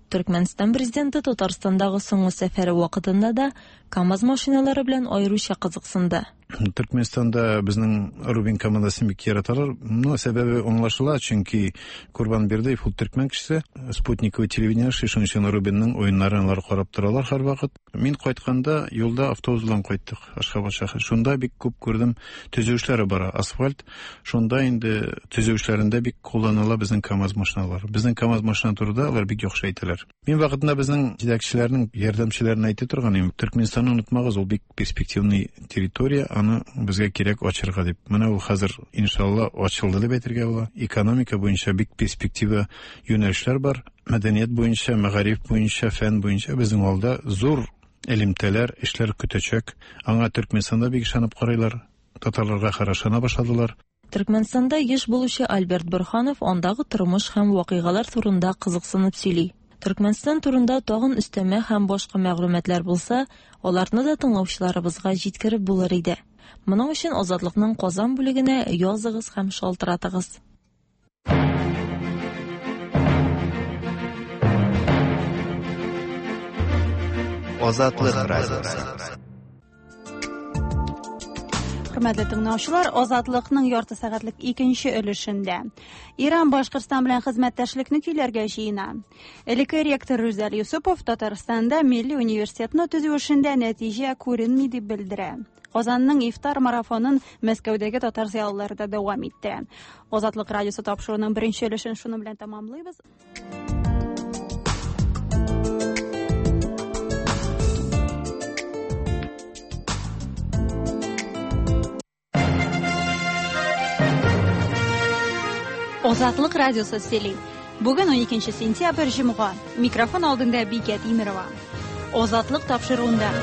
Төркмәнстан президенты Татарстандагы соңгы сәфәре вакытында да КАМАЗ машиналары белән аеруча кызыксынды. Төркмәнстанда безнең Рубин командасын бик яраталар. Ну, сәбәбе аңлашыла, чөнки Курбан Бердыев ул төркмән кешесе, спутниковый телевидение шуның өчен Рубинның уеннарын алар карап торалар һәрвакыт. Мин кайтканда юлда автобус белән кайттык Ашхабад шәһәре. Шунда бик күп күрдем, төзү эшләре бара, асфальт. Шунда инде төзү эшләрендә бик кулланыла безнең КАМАЗ машиналары. Безнең КАМАЗ машина турында алар бик яхшы әйтәләр. Мин вакытында безнең җитәкчеләрнең ярдәмчеләрен әйтә торган идем. Төркмәнстанны онытмагыз, ул бик перспективный территория, аны безгә кирәк ачырга дип. Менә ул хәзер иншалла ачылды дип әйтергә була. Экономика буенча бик перспектива юнәлешләр бар. Мәдәният буенча, мәгариф буенча, фән буенча безнең алда зур элемтәләр, эшләр көтәчәк. Аңа Төркмәнстанда бик ышанып карыйлар. Татарларга карашына башладылар. Төркмәнстанда еш булучы Альберт Борһанов андагы тормыш һәм вакыйгалар турында кызыксынып сөйли. Төркмәнстан турында тагын өстәмә һәм башка мәгълүматлар булса, аларны да тыңлаучыларыбызга җиткереп булыр иде. Моның өчен Азатлыкның Казан бүлегенә языгыз һәм шалтыратыгыз. Азатлык радиосы. Хөрмәтле тыңлаучылар, Азатлыкның ярты сәгатьлек икенче өлешендә Иран Башкортстан белән хезмәттәшлекне көйләргә җыена. Элекке ректор Рүзәл Юсупов Татарстанда милли университетны төзү эшендә нәтиҗә күренми дип белдерә. Казанның ифтар марафонын Мәскәүдәге татар зыялылары да дәвам иттерә. Азатлык радиосы тапшыруының беренче өлешен шуның белән тәмамлыйбыз. Азатлык радиосы сөйли. Бүген ун икенче сентябрь җомга. Микрофон алдында Бикә Тимирова. Азатлык тапшыруында.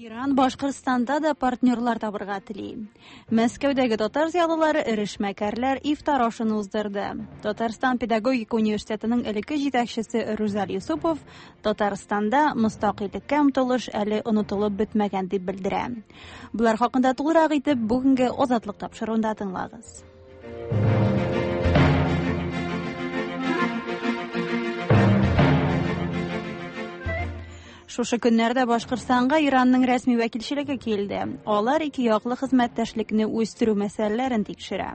Иран Башкортстанда да партнерлар табырга тели. Мәскәүдәге татар зыялылары эре эшмәкәрләр ифтар ашын уздырды. Татарстан педагогика университетының элекке җитәкчесе Рүзәл Юсупов Татарстанда мөстәкыйльлеккә омтылыш әле онытылып бетмәгән дип белдерә. Болар хакында тулырак итеп бүгенге Азатлык тапшыруында тыңлагыз. Шушы көннәрдә Башкортстанга Иранның рәсми вәкилчелеге килде. Алар ике яклы хезмәттәшлекне үстерү мәсьәләләрен тикшерә.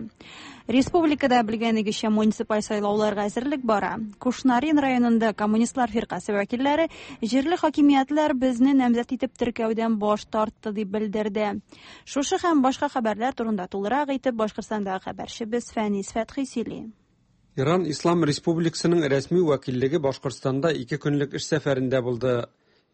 Республикада белгәнегезчә муниципаль сайлауларга әзерлек бара. Кушнарин районында коммунистлар фиркасе вәкилләре җирле хакимиятләр безне намзәт итеп теркәүдән баш тартты дип белдерде. Шушы һәм башка хәбәрләр турында тулырак итеп Башкортстандагы хәбәрчебез Фәнис Фәтхи сөйли. Иран Ислам Республикасының рәсми вәкиллеге Башкортстанда ике көнлек эш сәфәрендә булды.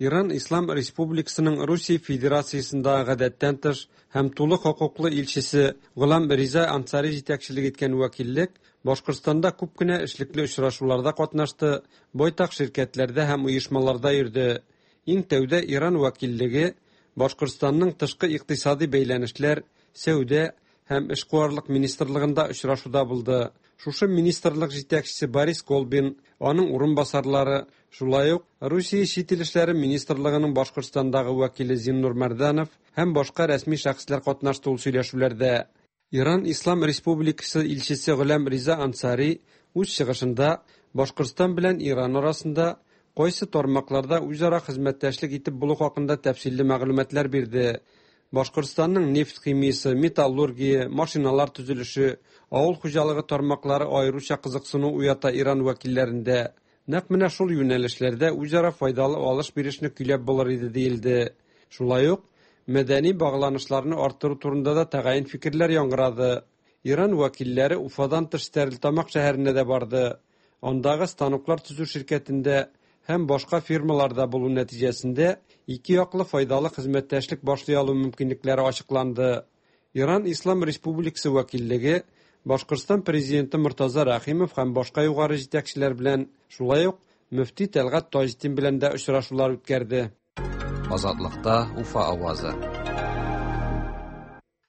Иран Ислам Республикасының Русия Федерациясендә гадәттән тыш һәм тулы хокуклы илчесе Гулам Риза Ансари җитәкчелек иткән вәкиллек Башкортстанда күп кенә эшлекле очрашуларда катнашты, байтак ширкәтләрдә һәм оешмаларда йөрде. Иң тәүдә Иран вәкиллеге Башкортстанның тышкы икътисади бәйләнешләр, сәүдә һәм эшкуарлык министрлыгында очрашуда булды. Шушы министрлык җитәкчесе Борис Колбин, аның урынбасарлары, шулай ук Русия чит ил эшләре министрлыгының Башкортстандагы вәкиле Зиннур Мәрданов һәм башка рәсми шәхесләр катнашты ул сөйләшүләрдә. Иран Ислам Республикасы илчесе Гулам Риза Ансари үз чыгышында Башкортстан белән Иран арасында кайсы тармакларда үзара хезмәттәшлек итеп булу хакында тәфсилле мәгълүматлар бирде. Башкортстанның нефть химиясе, металлургия, машиналар төзелеше, авыл хуҗалыгы тармаклары аеруча кызыксыну уята Иран вәкилләрендә. Нәкъ менә шул юнәлешләрдә үзара файдалы алыш-бирешне көйләп булыр иде диелде. Шулай ук мәдәни багланышларны арттыру турында да тәгаен фикерләр яңгырады. Иран вәкилләре Уфадан тыш Стәрлетамак шәһәренә дә барды. Андагы станоклар төзү ширкәтендә һәм башка фирмаларда булу нәтиҗәсендә ике яклы файдалы хезмәттәшлек башлый алу мөмкинлекләре ачыкланды. Иран Ислам Республикасы вәкиллеге Башкортстан президенты Мортаза Рәхимов һәм башка югары җитәкчеләр белән, шулай ук мөфти Тәлгать Таҗетдин белән дә очрашулар үткәрде. Азатлыкта Уфа авазы.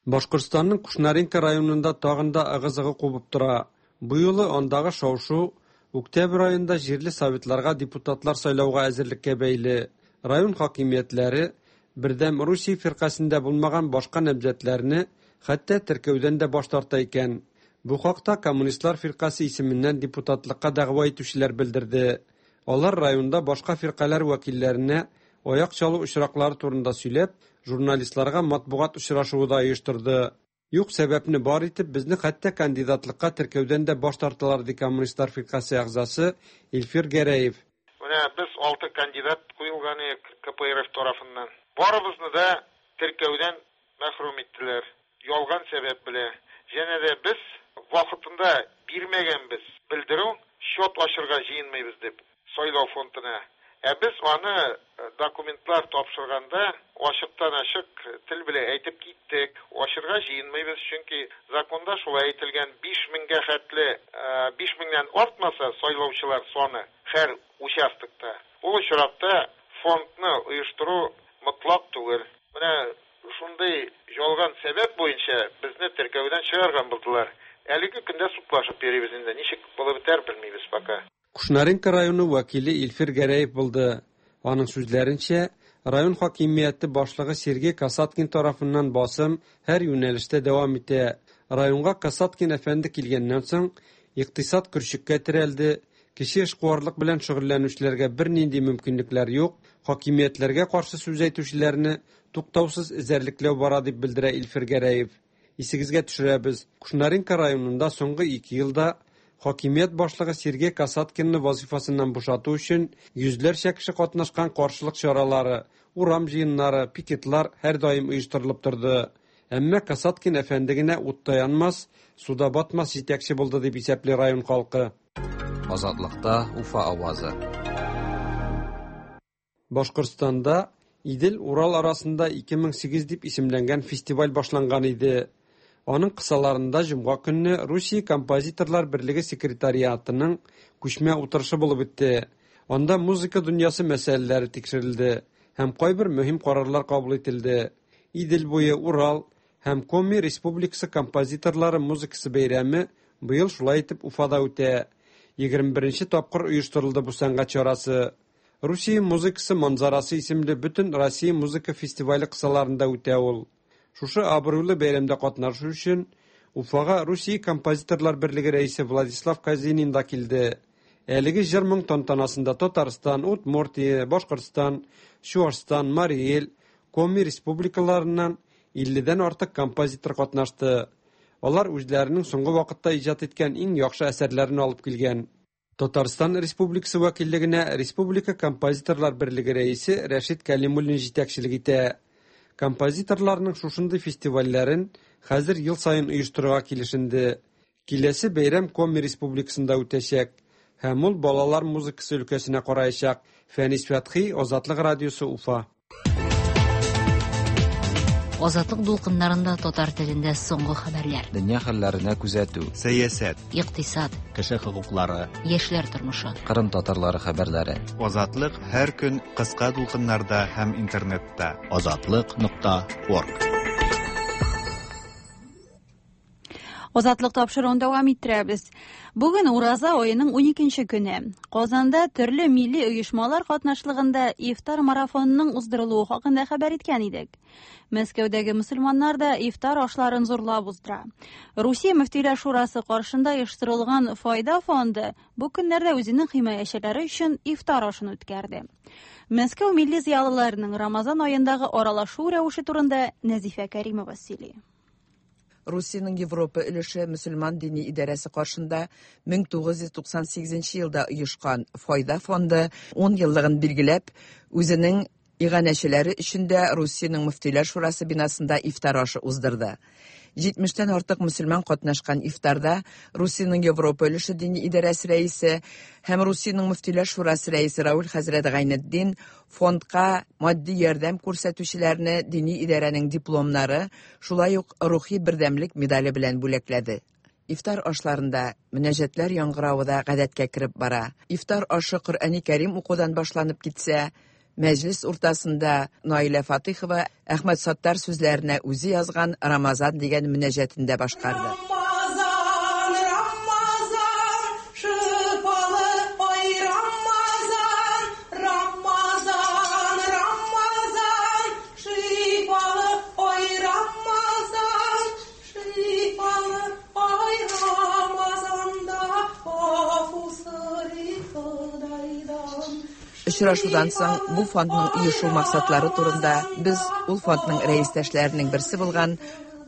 Башкортстанның Кушнаренко районында тагын да ыгы-зыгы кубып тора. Бу юлы андагы шау-шу октябрь аенда җирле советларга депутатлар сайлауга әзерлеккә бәйле. Район хакимиятләре Бердәм Русия фиркасендә булмаган башка намзәтләрне хәтта теркәүдән дә баш тарта икән. Бу хакта Коммунистлар фиркасе исеменнән депутатлыкка дәгъва итүчеләр белдерде. Алар районда башка фиркаләр вәкилләренә аяк чалу очраклары турында сөйләп, журналистларга матбугат очрашуы да оештырды. Юк сәбәпне бар итеп, безне хәтта кандидатлыкка теркәүдән дә баш тарталар, ди Коммунистлар фиркасе әгъзасы Илфир Гәрәев. Менә без алты кандидат куелган К П Р Ф тарафыннан. Барыбызны да теркәүдән мәхрүм иттеләр. Ялган сәбәп белән. Җәнә дә без вакытында бирмәгәнбез белдерү, счет ачырга җыенмыйбыз дип сайлау фондына. Ә без аны документлар тапшырганда ачыктан-ачык тел белән әйтеп киттек. Ачырга җыенмыйбыз, чөнки законда шулай әйтелгән: биш меңгә хәтле, биш меңнән артмаса сайлаучылар саны һәр участокта. Ул очракта фондны оештыру мотлак түгел. Менә шундый ялган сәбәп буенча безне теркәүдән чыгарган булдылар. Әлеге көндә судлашып йөрибез инде. Ничек булып бетәр белмибез пока. Кушнаренко районы вәкиле Илфир Гәрәев булды. Аның сүзләренчә, район хакимияте башлыгы Сергей Касаткин тарафыннан басым һәр юнәлештә дәвам итә. Районга Касаткин әфәнде килгәннән соң, икътисад көрчеккә терәлде, кече эшкуарлык белән шөгыльләнүчеләргә бернинди мөмкинлекләр юк, хакимиятләргә каршы сүз әйтүчеләрне туктаусыз эзәрлекләү бара, дип белдерә Илфир Гәрәев. Исегезгә төшерәбез, Кушнаренко районында соңгы ике елда хакимият башлыгы Сергей Касаткинны вазифасыннан бушату өчен йөзләрчә кеше катнашкан каршылык чаралары, урам җыеннары, пикетлар һәрдаим оештырылып торды. Әмма Касаткин әфәнде генә утта янмас, суда батмас җитәкче булды, дип исәпли район халкы. Азатлыкта Уфа авазы. Башкортстанда Идел-Урал арасында ике мең сигез дип исемләнгән фестиваль башланган иде. Аның кысаларында җомга көнне Русия композиторлар берлеге секретариатының күчмә утырышы булып үтте. Анда музыка дөньясы мәсьәләләре тикшерелде һәм кайбер мөһим карарлар кабул ителде. Идел буе, Урал һәм Коми Республикасы композиторлары музыкасы бәйрәме быел шулай итеп Уфада үтә. Егерме беренче тапкыр оештырылды бу сәнгать чарасы. Русия музыкасы манзарасы исемле бөтен Россия музыка фестивале кысаларында үтә ул. Шушы абруйлы бәйрәмдә катнашу өчен Уфага Русия композиторлар берлеге рәисе Владислав Казинин да килде. Әлеге җыр-моң тантанасында Татарстан, Удмуртия, Башкортстан, Чуашстан, Марий Эл, Коми республикаларыннан илледән артык композитор катнашты. Алар үзләренең соңгы вакытта иҗат иткән иң яхшы әсәрләрен алып килгән. Татарстан Республикасы вәкиллегенә Республика композиторлар берлеге рәисе Рәшит Кәлимуллин җитәкчелек итә. Композиторларның шушындый фестивальләрен хәзер ел саен оештырырга килешенде. Киләсе бәйрәм Коми Республикасында үтәчәк һәм ул балалар музыкасы өлкәсенә караячак. Фәнис Фәтхи, Азатлык радиосы, Уфа. Азатлык дулкыннарында татар телендә соңгы хәбәрләр. Дөнья хәлләренә күзәтү, сәясәт, икътисад, кеше хокуклары, яшьләр тормышы, Кырым татарлары хәбәрләре. Азатлык һәр көн кыска дулкыннарда һәм интернетта. Азатлык нокта орг. Азатлык тапшыруын дәвам иттерәбез. Бүген Ураза аеның уникенче көне. Казанда төрле милли оешмалар катнашлыгында ифтар марафонының уздырылуы хакында хәбәр иткән идек. Мәскәүдәге мөселманнар да ифтар ашларын зурлап уздыра. Русия мөфтиләр шурасы каршында оештырылган Файда фонды бу көннәрдә үзенең химаячеләре өчен ифтар ашын үткәрде. Мәскәү милли зыялыларының Рамазан аендагы аралашу рәвеше турында Нәзифә Кәримова сөйли. Русиянең Европа өлеше мөселман дини идарәсе каршында мең тугыз йөз туксан сигезенче елда оешкан Файда фонды ун еллыгын билгеләп, үзенең иганәчеләре өчен дә Русиянең мөфтиләр шурасы бинасында ифтар ашы уздырды. Җитмештән артык мөселман катнашкан ифтарда Русиянең Европа өлеше дини идарәсе рәисе һәм Русиянең мөфтиләр шурасы рәисе Рауль хәзрәт Гайнетдин фондка матди ярдәм күрсәтүчеләрне дини идарәнең дипломнары, шулай ук рухи бердәмлек медале белән бүләкләде. Ифтар ашларында мөнәҗәтләр яңгыравы да гадәткә кереп бара. Ифтар ашы Коръәни Кәрим укудан башланып китсә, мәҗлес уртасында Наилә Фатыйхова Әхмәт Саттар сүзләренә үзе язган Рамазан дигән мөнәҗәтен дә башкарды. Рамазан, Рамазан, шифалы ай Рамазан, Рамазан, Рамазан, шифалы ай Рамазан, шифалы ай Рамазанда гафу сорый Ходайдан. Очрашудан соң бу фондның оешу максатлары турында без ул фондның рәистәшләренең берсе булган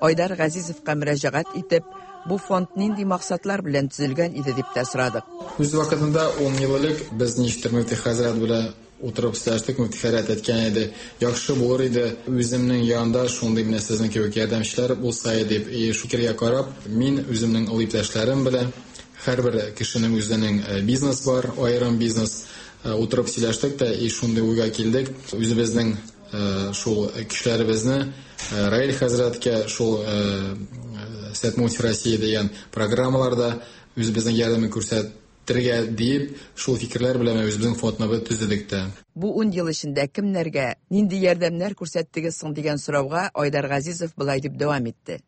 Айдар Газизовка мөрәҗәгать итеп, бу фонд нинди максатлар белән төзелгән иде дип тә сорадык. Үз вакытында ун ел элек без ничектер мөфти хәзрәт белән утырып сөйләштек, мөфти хәзрәт әйткән иде, яхшы булыр иде үземнең янында шундый менә сезнең кебек ярдәмчеләр булса иде дип. И шул фикергә карап, мин үземнең олы иптәшләрем белән һәрбер кешенең үзенең бизнес бар, аерым бизнес, утырып сөйләштек тә, и шундый уйга килдек. Үзебезнең шул кешеләребезне Раил хәзрәткә шул Свет муфти России дигән программаларда үзебезнең ярдәмен күрсәтергә дип, шул фикерләр белән үзебезнең фондны төзедек тә. Бу ун ел эчендә кемнәргә нинди ярдәмнәр күрсәттегез соң дигән сорауга Айдар Газизов былай дип дәвам итте.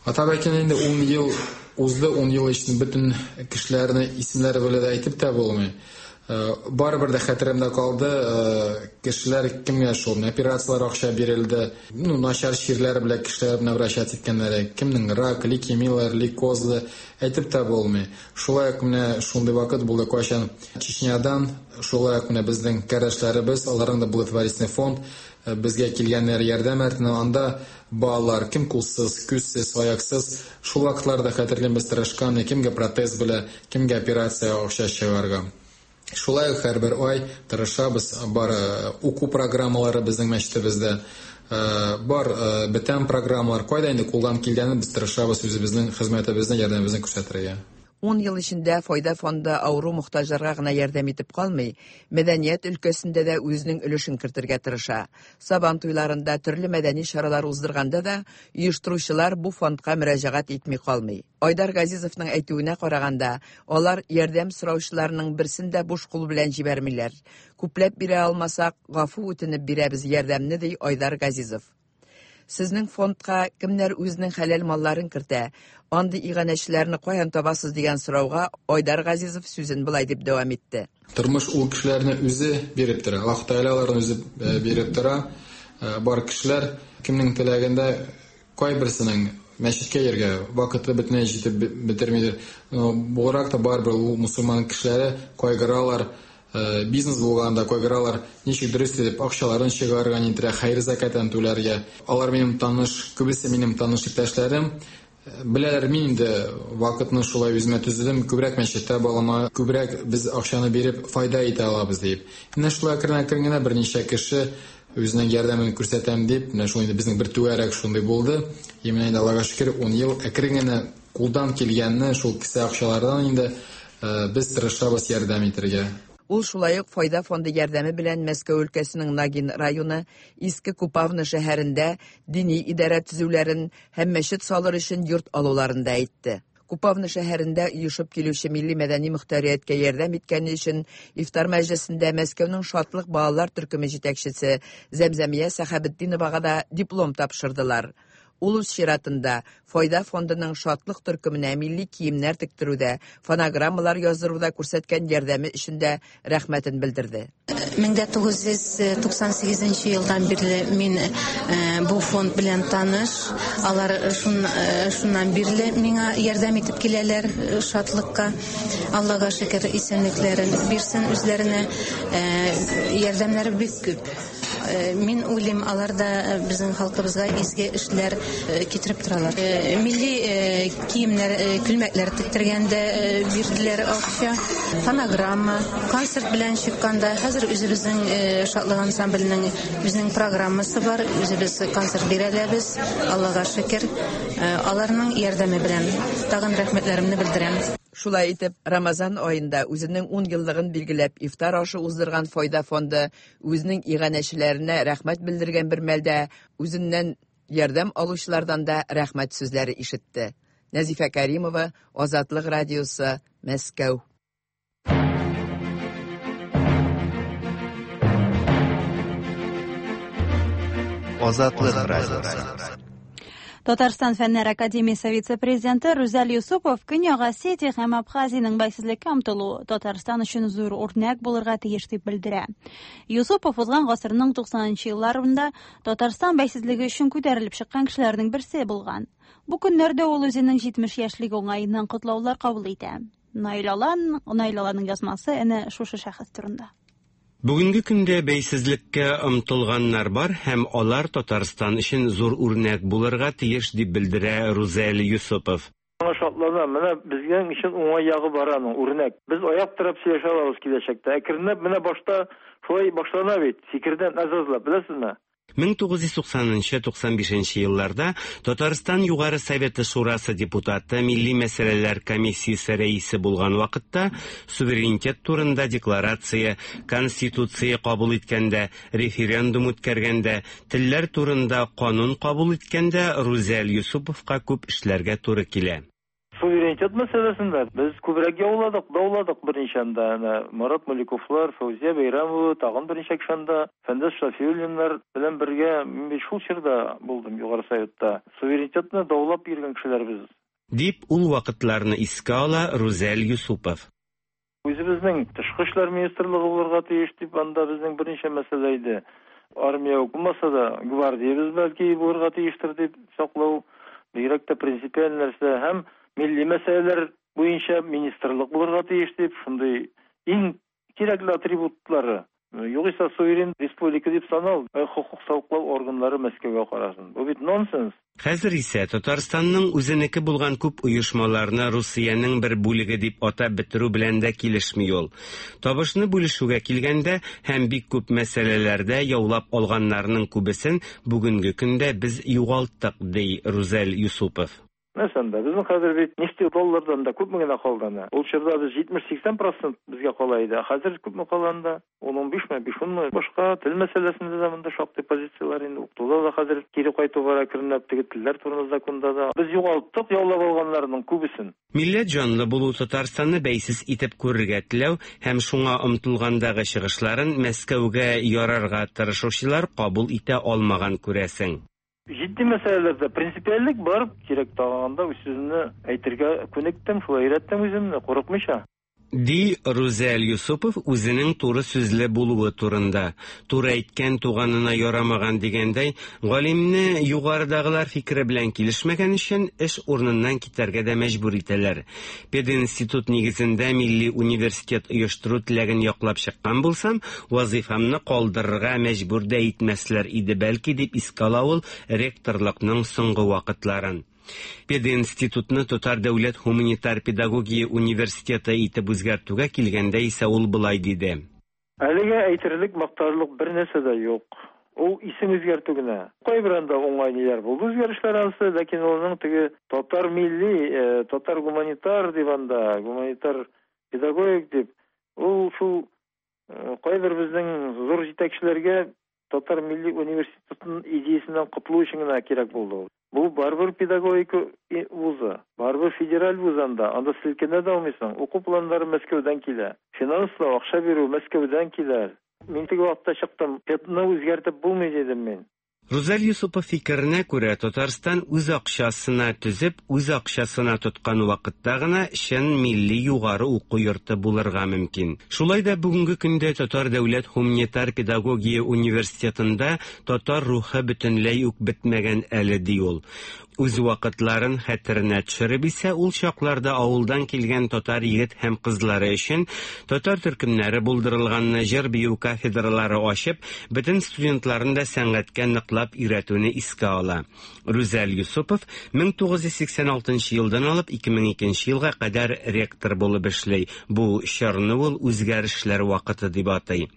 Атап әйткәндә, инде ун ел узды, ун ел эчендә бөтен кешеләрне исемнәре белән дә әйтеп тә булмый. Барыбер дә хәтеремдә калды, кешеләр кемгә шул операцияләр акча бирелде, ну, начар чирләр белән кешеләр белән обращаться иткәннәр, кемнең рак, лейкемияләр, лейкозлы, әйтеп тә булмый. Шулай ук менә шундый вакыт булды, кайчан Чечнядан, шулай ук менә безнең кардәшләребез, аларның да благотворительный фонд, безгә килгәннәр ярдәм итте, анда балалар кем кулсыз, күзсез, аяксыз, шул вакытларда хәтерлим без тырышкан, кемгә протез белә, кемгә операция акча чыгарга. Шулай ук һәрбер ай тырышабыз, бар уку программалары безнең мәчетебездә, бар бетәм программалар, кайда инде кулдан килгәнен без тырышабыз үзебезнең хезмәтебезне, ярдәмебезне күрсәтергә. Ун ел эчендә Файда фонды авыру мохтаҗларга гына ярдәм итеп калмый, мәдәният өлкәсендә дә үзенең өлешен кертергә тырыша. Сабан туйларында төрле мәдәни чаралар уздырганда да оештыручылар бу фондка мөрәҗәгать итми калмый. Айдар Газизовның әйтүенә караганда, алар ярдәм сораучыларның берсен дә буш кул белән җибәрмиләр. Күпләп бирә алмасак, гафу үтенеп бирәбез ярдәмне, ди Айдар Газизов. Сезнең фондка кемнәр үзенең хәләл малларын кертә, андый иганәчеләрне каян табасыз дигән сорауга Айдар Газизов сүзен былай дип дәвам итте. Тормыш ул кешеләрне үзе биреп тора, Аллаһ Тәгалә аларны үзе биреп тора. Бар кешеләр кемнең теләгендә, кайберсенең мәчеткә йөргә вакыты бөтенләй җитеп бетермидер. Буларак та барыбер ул мусульман кешеләре кайгыралар, бизнес булганда кайгыралар, ничек дөрес итеп акчаларын чыгарырга, нитәрә хәер закатын түләргә. Алар минем таныш, күбесе минем таныш иптәшләрем. Беләләр, мин инде вакытны шулай үземә төзедем, күбрәк мәчеттә балама, күбрәк без акчаны биреп файда итә алабыз дип. Менә шулай әкрен-әкрен генә берничә кеше үзенең ярдәмен күрсәтәм дип, менә шул инде безнең бер түгәрәк шундый булды. И менә инде Аллага шөкер, ун ел әкрен генә кулдан килгәнне шул кесә акчалардан инде без тырышабыз ярдәм итәргә. Ул шулай ук Файда фонды ярдәме белән Мәскәү өлкәсенең Нагин районы Иске Купавна шәһәрендә дини идарә төзүләрен һәм мәчет салыр өчен йорт алуларын да әйтте. Купавна шәһәрендә оешып килүче милли мәдәни мөхтәрияткә ярдәм иткәне өчен ифтар мәҗлесендә Мәскәүнең Шатлык балалар төркеме җитәкчесе Зәмзәмия Сәхәбетдиновага да диплом тапшырдылар. Ул үз чиратында Файда фондының Шатлык төркеменә милли киемнәр тектерүдә, фонограммалар яздыруда күрсәткән ярдәме өчен дә рәхмәтен белдерде. мең дә тугыз йөз туксан сигезенче елдан бирле мин бу фонд белән таныш. Алар шун, шуннан бирле миңа ярдәм итеп киләләр Шатлыкка. Аллага шөкер, исәнлекләрен бирсен үзләренә. Ярдәмнәре бик күп. Мин уйлыйм, алар да безнең халкыбызга изге эшләр китереп торалар. Милли киемнәр, күлмәкләр тектергәндә бирделәр акча, фонограмма, концерт белән чыкканда. Хәзер үзебезнең Шатлык ансамбленең үзенең программасы бар, үзебез концерт бирәләбез, Аллага шөкер. Аларның ярдәме белән тагын рәхмәтләремне белдерәм. Шулай итеп, Рамазан аенда үзенең ун еллыгын билгеләп ифтар ашы уздырган Файда фонды үзенең иганәчеләренә рәхмәт белдергән бер мәлдә үзеннән ярдәм алучылардан да рәхмәт сүзләре ишетте. Нәзифә Каримова, Азатлык радиосы, Мәскәү. Азатлык радиосы. Татарстан Фәннәр Академиясе вице-президенты Рүзәл Юсупов Көньяк Осетия һәм Абхазиянең бәйсезлеккә омтылуы Татарстан өчен зур үрнәк булырга тиеш дип белдерә. Юсупов узган гасырның туксанынчы елларында Татарстан бәйсезлеге өчен күтәрелеп чыккан кешеләрнең берсе булган. Бу көннәрдә ул үзенең җитмеш яшьлеге уңаеннан котлаулар кабул итә. Наил Алан, Наил Аланның язмасы әнә шушы шәхес турында. Бүгенге көндә бәйсезлеккә омтылганнар бар һәм алар Татарстан өчен зур үрнәк булырга тиеш дип белдерә Рүзәл Юсупов. Аңа шатланам, менә безгә өчен уңай ягы бар аның, үрнәк. Без аяк торып сөйләшә алабыз киләчәктә. Әкренләп менә башта шулай башлана бит, фикердән азазлап, беләсезме? мең тугыз йөз туксанынчы туксан бишенче елларда Татарстан Югары Советы Шурасы депутаты, Милли мәсьәләләр комиссиясе рәисе булган вакытта суверенитет турында декларация, конституция кабул иткәндә, референдум үткәргәндә, телләр турында канун кабул иткәндә Рүзәл Юсуповка күп эшләргә туры килә. Суверенитет мәсьәләсендә без күбрәк яуладык, дауладык берничә анда. Әнә Марат Маликовлар, Фәүзия Бәйрәмова, тагын берничә кеше анда, Фәндәс Шафиуллиннар белән бергә мин бит шул чорда булдым Югары Советта. Суверенитетны даулап йөргән кешеләр без. Дип ул вакытларны искә ала Рүзәл Юсупов. Үзебезнең тышкы эшләр министрлыгы булырга тиеш дип анда безнең берничә мәсьәлә иде. Армия булмаса да, гвардиябез бәлки булырга тиештер дип саклау бигрәк тә принципиаль нәрсә һәм милли мәсьәләләр буенча министрлык булырга тиеш дип шундый иң кирәкле атрибутлары. Югыйсә суверен республика дип санал, хокук саклау органнары Мәскәүгә карасын. Бу бит нонсенс. Хәзер исә Татарстанның үзенеке булган күп оешмаларны Русиянең бер бүлеге дип атап бетерү белән дә килешми ул. Табышны бүлешүгә килгәндә һәм бик күп мәсьәләләрдә яулап алганнарның күбесен бүгенге көндә без югалттык, ди Рүзәл Юсупов. Мәсәлән, безнең хәзер бит нефть доллардан да күпме генә калды ана. Ул чорда без җитмеш-сиксән процент безгә кала иде. Хәзер күпме кала анда? ун-унбишме, биш-унмы? Башка тел мәсьәләсендә дә монда шактый позицияләр инде. Укытуда да хәзер кире кайту бара әкренләп, теге телләр турында законда да. Без югалттык яулап алганнарның күбесен. Милләт җанлы булу Татарстанны бәйсез итеп күрергә теләү һәм шуңа омтылгандагы чыгышларын Мәскәүгә ярарга тырышучылар кабул итә алмаган күрәсең. Җитди мәсьәләләрдә принципиальлек бар, кирәк тагында үз сүземне әйтергә күнектем, шулай өйрәттем үземне, курыкмыйча. Ди Рүзәл Юсупов үзенең туры сүзле булуы турында. Туры әйткән туганына ярамаган дигәндәй, галимне югарыдагылар фикере белән килешмәгән өчен эш урыныннан китәргә дә мәҗбүр итәләр. Пединститут нигезендә милли университет оештыру теләген яклап чыккан булсам, вазифамны калдырырга мәҗбүр дә итмәсләр иде бәлки, дип искә ала ул ректорлыкның соңгы вакытларын. Пединститутны Татар дәүләт һуманитар педагогия университеты итеп үзгәртүгә килгәндә исә ул былай диде. Әлегә әйтерлек, мактарлык бер нәрсә дә юк. Ул исем үзгәртү генә. Кайбер анда уңай ниләр булды үзгәрешләр ансы, ләкин улның теге татар милли, татар гуманитар дип анда, гуманитар педагогик дип, ул шул кайбер безнең зур җитәкчеләргә татар милли университетының идеясеннән котылу өчен генә кирәк булды. Бу барыбер педагогика вузы, барыбер федераль вуз анда, анда селкенә дә алмыйсың. Уку планнары Мәскәүдән килә. Финанслау, акча бирү Мәскәүдән килә. Мин теге вакытта чыктым, педны үзгәртеп булмый дидем мин. Рүзәл Юсупов фикеренә күрә, Татарстан үз акчасына төзеп, үз акчасына тоткан вакытта гына чын милли югары уку йорты булырга мөмкин. Шулай да бүгенге көндә Татар дәүләт һуманитар педагогия университетында татар рухы бөтенләй үк бетмәгән әле, ди ул. Үз вакытларын хәтеренә төшереп исә, ул чакларда авылдан килгән татар егет һәм кызлары өчен татар төркемнәре булдырылганны, җыр-бию кафедралары ачып, бөтен студентларын да сәнгатькә ныклап өйрәтүне искә ала. Рүзәл Юсупов мең тугыз йөз сиксән алтынчы елдан алып ике мең икенче елга кадәр ректор булып эшли. Бу чорны ул үзгәрешләр вакыты дип атый.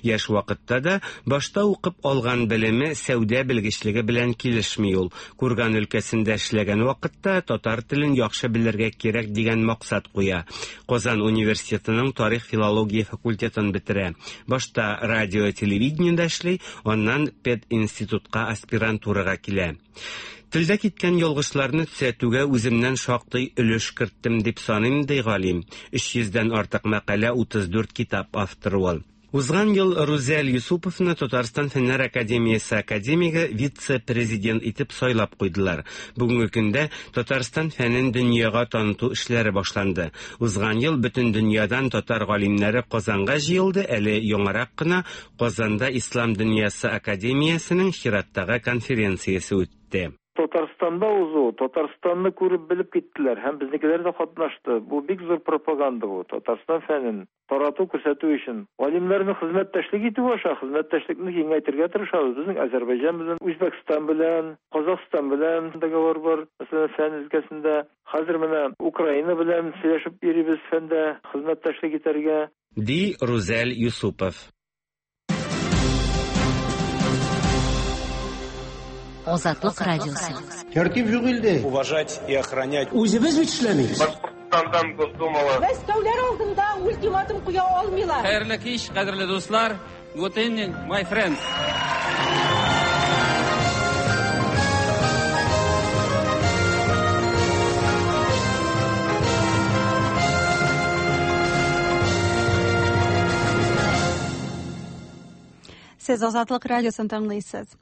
Яшь вакытта да башта укып алган белеме сәүдә белгечлеге белән килешми ул. Курган өлкәсе эшләгән вакытта татар телен яхшы белергә кирәк дигән максат куя. Казан университетының тарих филология факультетын бетерә. Башта радио телевидениедә эшли, аннан пединститутка аспирантурага килә. Телдә киткән ялгышларны төзәтүгә үземнән шактый өлеш керттем дип саныйм, ди галим. Өч йөздән артык мәкалә, утыз дүрт китап авторы ул. Узган ел Рүзәл Юсуповны Татарстан Фәннәр академиясе академигы вице-президент итеп сайлап куйдылар. Бүгенге көндә Татарстан фәнен дөньяга таныту эшләре башланды. Узган ел бөтен дөньядан татар галимнәре Казанга җыелды, әле яңарак кына Казанда Ислам дөньясы академиясенең чираттагы конференциясе үтте. Татарстанда узу, Татарстанны күреп белеп киттеләр һәм безнекеләр дә катнашты. Бу бик зур пропаганда бу. Татарстан фәнен тарату, күрсәтү өчен. Галимнәрнең хезмәттәшлек итү аша хезмәттәшлекне киңәйтергә тырышабыз. Безнең Азәрбайҗан белән, Үзбәкстан белән, Казахстан белән договор бар. Мәсәлән, фән өлкәсендә. Хәзер менә Украина белән сөйләшеп йөрибез фәндә хезмәттәшлек итәргә. Ди Рүзәл Юсупов. Азатлык радиосы. Тәртип юк илдә. Уважать и охранять. Үзебез бит эшләмибез. Башкортстандан Госдумала. Мәскәүләр алдында ультиматум куя алмыйлар. Хәерле кич, кадерле дуслар. Good evening, my friends. Сез Азатлык радиосын тыңлыйсыз.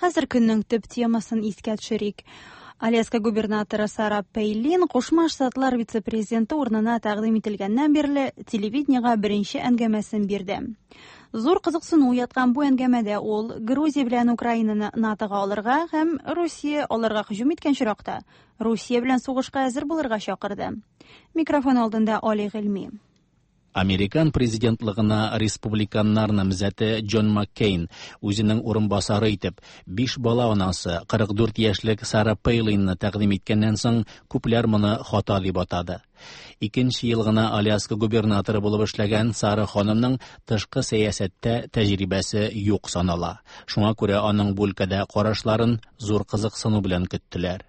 Хәзер көннең төп темасын искә төшерик. Аляска губернаторы Сара Пейлин Кушма Штатлар вице-президенты урынына тәкъдим ителгәннән бирле телевидениегә беренче әңгәмәсен бирде. Зур кызыксыну уяткан бу әңгәмәдә ул Грузия белән Украинаны НАТОга алырга һәм Русия аларга һөҗүм иткән очракта Русия белән сугышка әзер булырга чакырды. Микрофон алдында Али Гыйльми. Американ президентлыгына республиканнар намзәте Джон Маккейн үзенең урынбасары итеп биш бала анасы кырык дүрт яшьлек Сара Пейлинны тәкъдим иткәннән соң күпләр моны хата дип атады. Икенче ел гына Аляска губернаторы булып эшләгән Сара ханымның тышкы сәясәттә тәҗрибәсе юк санала. Шуңа күрә аның бу өлкәдә карашларын зур кызыксыну белән көттеләр.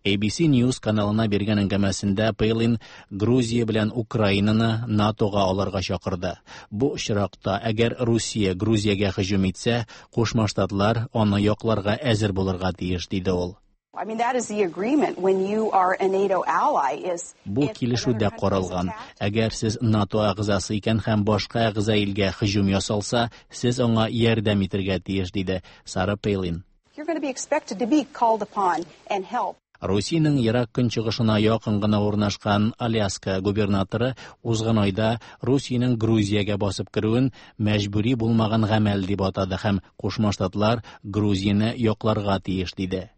A B C News каналына биргән әңгәмәсендә Пейлин Грузия белән Украинаны НАТОга алырга чакырды. Бу очракта, әгәр Русия Грузиягә һөҗүм итсә, Кушма Штатлар аны якларга әзер булырга тиеш, диде ул. I mean, that is the agreement when you are a NATO ally is Бу килешүдә каралган. Әгәр сез НАТО әгъзасы икән һәм башка әгъза илгә һөҗүм ясалса, сез аңа ярдәм итәргә тиеш, диде Сара Пейлин. You're going to be expected to be called upon and help. Русиянең ерак көнчыгышына якын гына урнашкан Аляска губернаторы узган айда Русиянең Грузиягә басып керүен мәҗбүри булмаган гамәл дип атады һәм Кушма Штатлар Грузияне якларга тиеш, диде.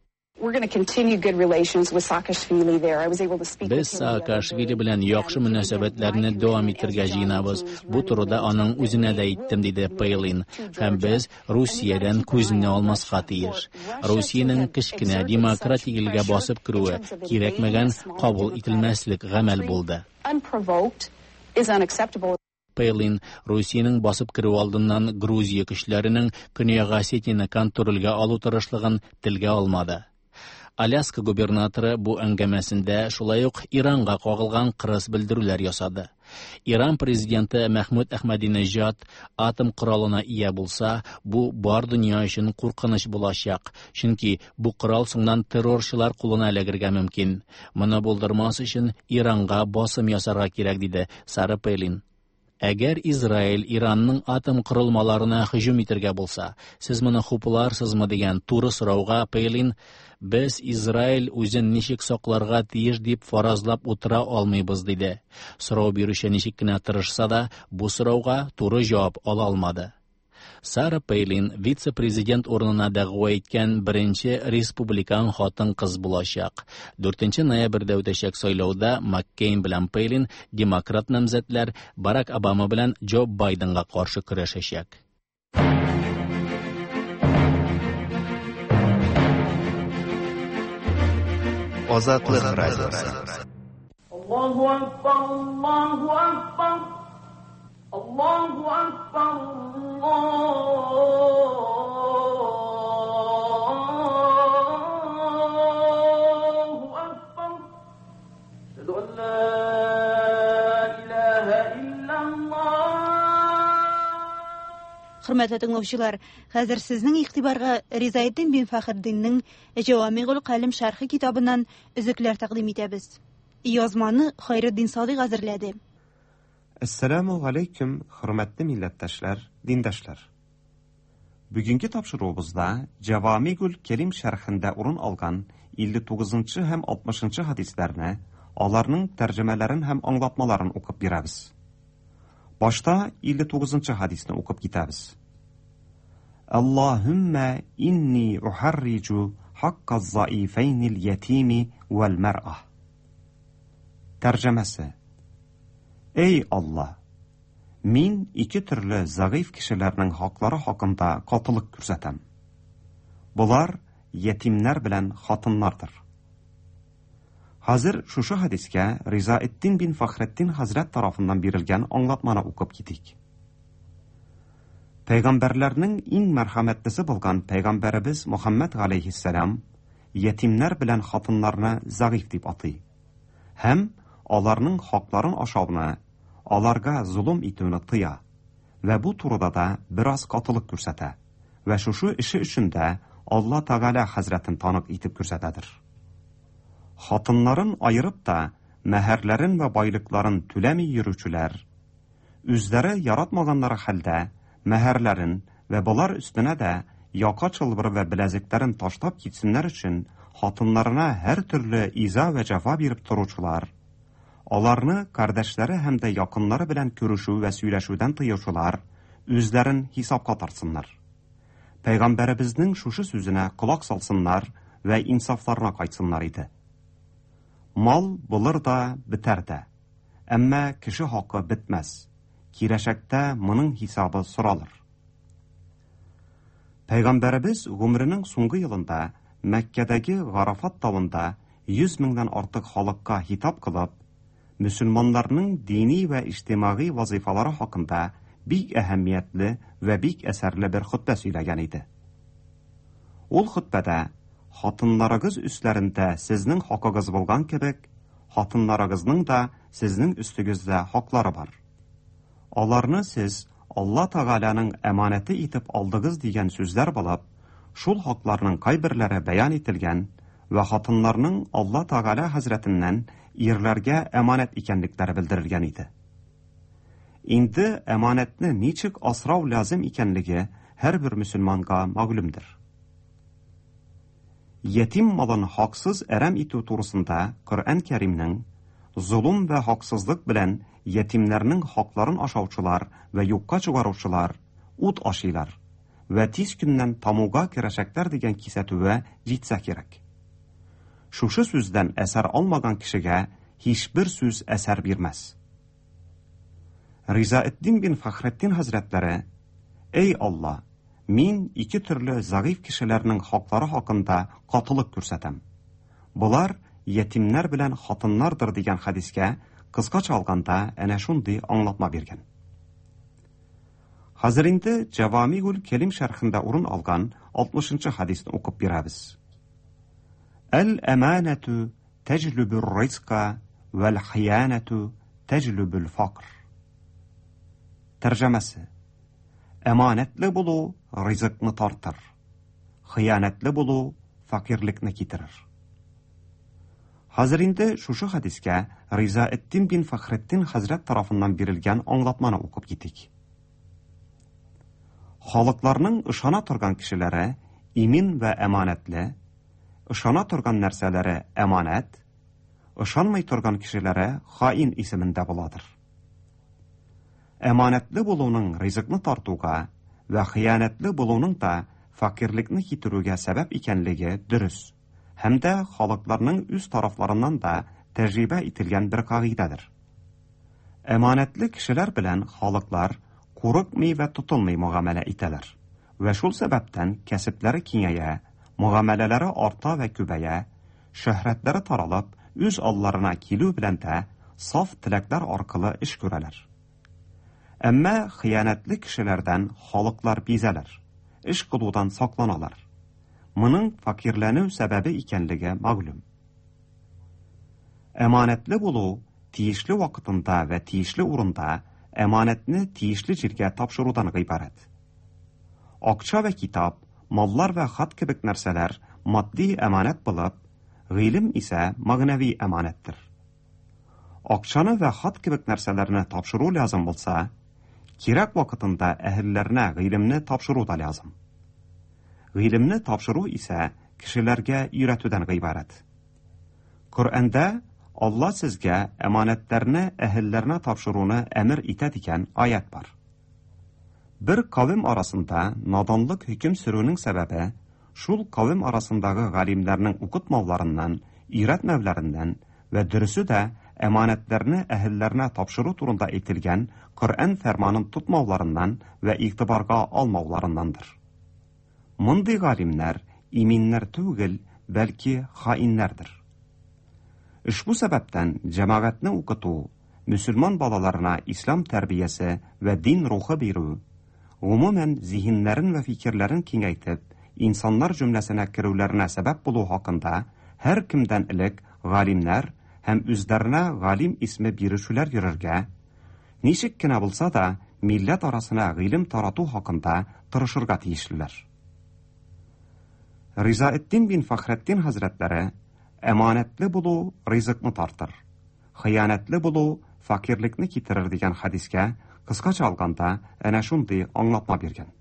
We're going to continue good relations with Saakashvili there. I was able to speak Без with him the other Саакашвили белән яхшы мөнәсәбәтләрне дәвам итәргә җыенабыз. Бу турыда аның үзенә дә әйттем, диде Пейлин. Һәм без Русиядән күзне алмаска тиеш. Русиянең кечкенә демократик илгә басып керүе кирәкмәгән кабул ителмәслек гамәл булды. Unprovoked is unacceptable. Пейлин Русиянең басып керү алдыннан Грузия көчләренең Көньяк Осетияне контрольгә алу тырышлыгын телгә алмады. Аляска губернаторы бу әңгәмәсендә шулай ук Иранга кагылган кырыс белдерүләр ясады. Иран президенты Мәхмүд Әхмәдинежад атом коралына ия булса, бу бар дөнья өчен куркыныч булачак, чөнки бу корал соңыннан террорчылар кулына эләгергә мөмкин. Моны булдырмас өчен Иранга басым ясарга кирәк, диде Сара Пейлин. Әгәр Израиль Иранның атом корылмаларына һөҗүм итәргә булса, сез моны хупларсызмы дигән туры сорауга Пейлин без Израиль үзен ничек сакларга тиеш дип фаразлап утыра алмыйбыз, диде. Сорау бирүче ничек кенә тырышса да, бу сорауга туры җавап ала алмады. Сара Пейлин вице-президент урынына дәгъва иткән беренче республикан хатын-кыз булачак. Дүртенче ноябрьдә үтәчәк сайлауда Маккейн белән Пейлин демократ намзәтләр Барак Обама белән Джо Байденга каршы көрәшәчәк. Азатлык радиосы. Аллаһу акбар, Аллаһу акбар. Аллаһу акбар, Аллаһу акбар. Әшһәду ан ла илаһа иллаллаһ. Хөрмәтле тыңлаучылар, хәзер сезнең игътибарга Ризаэддин бин Фәхретдиннең Җавамигул Калим шәрхе китабыннан өзекләр тәкъдим итәбез. Язманы Хайретдин Садыйк әзерләде. Әссәламу алейкум, хөрмәтле милләттәшләр, диндәшләр. Бүгенге тапшыруыбызда Җавамигул Кәрим шәрхендә урын алган илле тугызынчы һәм алтмышынчы хадисләрне, аларның тәрҗемәләрен һәм аңлатмаларын укып бирәбез. Башта илле тугызынчы хадисне укып китәбез. Аллаһумма инни ухарриджу хакка заифайнил ятими вәл мәр'а. Тәрҗемәсе: Эй Алла, мин ике төрле зәгыйфь кешеләрнең хаклары хакында катылык күрсәтәм. Болар ятимнәр белән хатыннардыр. Хәзер шушы хадискә Ризаэддин бин Фәхретдин хәзрәт тарафыннан бирелгән аңлатманы укып китик. Пәйгамбәрләрнең иң мәрхәмәтлесе булган пәйгамбәребез Мөхәммәд галәйһиссәлам ятимнәр белән хатыннарны зәгыйфь дип атый һәм аларның хакларын ашауны, аларга золым итүне тыя вә бу турыда да бераз катылык күрсәтә вә шушы эше өчен дә Алла Тәгалә хәзрәтен танык итеп күрсәтәдер. Хатыннарын айырып та мәһәрләрен вә байлыкларын түләми йөрүчеләр, үзләре яратмаганнары хәлдә мәһәрләрен вә болар өстенә дә яка чылбыры вә беләзекләрен ташлап китсеннәр өчен хатыннарына һәр төрле иза вә җәфа биреп торучылар, аларны кардәшләре һәм дә якыннары белән күрешү вә сөйләшүдән тыючылар үзләрен хисапка тартсыннар. Пәйгамбәребезнең шушы сүзенә колак салсыннар вә инсафларына кайтсыннар иде. Мал булыр да, бетәр дә. Әмма кеше хакы бетмәс. Киләчәктә моның хисабы соралыр. Пәйгамбәребез гомеренең соңгы елында Мәккәдәге Гарафат тавында йөз меңнән артык халыкка хитап кылып, мөселманнарның дини вә иҗтимагый вазифалары хакында бик әһәмиятле вә бик әсәрле бер хөтбә сөйләгән иде. Ул хөтбәдә хатыннарыгыз өсләрендә сезнең хакыгыз булган кебек, хатыннарыгызның да сезнең өстегездә хаклары бар. Аларны сез Алла Тәгаләнең әманәте итеп алдыгыз дигән сүзләр булып, шул хакларның кайберләре бәян ителгән вә хатыннарның Алла Тәгалә хәзрәтеннән ирләргә әманәт икәнлекләре белдерелгән иде. Инде әманәтне ничек асрау лазим икәнлеге һәрбер мөселманга мәгълүмдер. Ятим малын хаксыз әрәм итү турысында Коръән Кәримнең золым вә хаксызлык белән ятимнәрнең хакларын ашаучылар вә юкка чыгаручылар ут ашыйлар вә тиз көннән тамуга керәчәкләр дигән кисәтүгә җитсә кирәк. Шушы сүздән әсәр алмаган кешегә һичбер сүз әсәр бирмәс. Ризаэддин бин Фәхретдин хәзрәтләре: "Эй Алла, мин ике төрле зәгыйфь кешеләрнең хаклары хакында катылык күрсәтәм. Болар ятимнәр белән хатыннардыр" дигән хәдискә кыскача алганда әнә шундый аңлатма биргән. Хәзер инде Җавамигул Кәлим шәрхендә урын алган алтмышынчы хәдисне укып бирәбез. Әл-әманәту тәҗлүбүр ризка вәл хиянәту тәҗлүбүл факр. Тәрҗемәсе: Әманәтле булу ризыкны тартыр, хыянәтле булу фәкыйрьлекне китерер. Хәзер инде шушы хәдискә Ризаэддин бин Фәхретдин хәзрәт тарафыннан бирелгән аңлатманы укып китик. Халыкларның ышана торган кешеләре имин вә әманәтле, ышана торган нәрсәләре әманәт, ышанмый торган кешеләре хаин исемендә буладыр. Әманәтле булуның ризыкны тартуга вә хыянәтле булуның да фәкыйрьлекне китерүгә сәбәп икәнлеге дөрес һәм дә халыкларның үз тарафларыннан да тәҗрибә ителгән бер кагыйдәдер. Әманәтле кешеләр белән халыклар курыкмый вә тотылмый мөгамәлә итәләр вә шул сәбәптән кәсепләре киңәя, мөгамәләләре арта вә күбәя, шөһрәтләре таралып, үз алларына килү белән дә саф теләкләр аркылы эш күрәләр. Әмма хыянәтле кешеләрдән халыклар бизәләр, эш кылудан сакланалар. Моның фәкыйрьләнү сәбәбе икәнлеге мәгълүм. Әманәтле булу тиешле вакытында вә тиешле урында әманәтне тиешле җиргә тапшырудан гыйбарәт. Акча вә китап, маллар вә хат кебек нәрсәләр матди әманәт булып, гыйлем исә мәгънәви әманәттер. Акчаны вә хат кебек нәрсәләрне тапшыру лязым булса, кирәк вакытында әһелләренә гыйлемне тапшыру да лязым. Гыйлемне тапшыру исә кешеләргә өйрәтүдән гыйбарәт. Коръәндә Алла сезгә әманәтләрне әһелләренә тапшыруны әмер итә дигән аят бар. Бер кавем арасында наданлык хөкем сөрүнең сәбәбе шул кавем арасындагы галимнәрнең укытмауларыннан, өйрәтмәүләреннән вә дөресе дә әманәтләрне әһелләренә тапшыру турында әйтелгән Коръән фәрманын тотмауларыннан вә игътибарга алмауларыннандыр. Мондый галимнәр иминнәр түгел, бәлки хаиннәрдер. Ошбу сәбәптән җәмәгатьне укыту, мөселман балаларына ислам тәрбиясе вә дин рухы бирү, гомумән зиһеннәрен вә фикерләрен киңәйтеп, инсаннар җөмләсенә керүләренә сәбәп булу хакында һәр кемдән элек галимнәр һәм үзләренә галим исме бирүчеләр йөрергә, ничек кенә булса да милләт арасына гыйлем тарату хакында тырышырга тиешлеләр. Ризаэддин бин Фәхретдин хәзрәтләре: "Әманәтле булу ризыкны тартыр, хыянәтле булу фәкыйрьлекне китерер" дигән хәдискә кыскача алганда әнә шундый аңлатма биргән.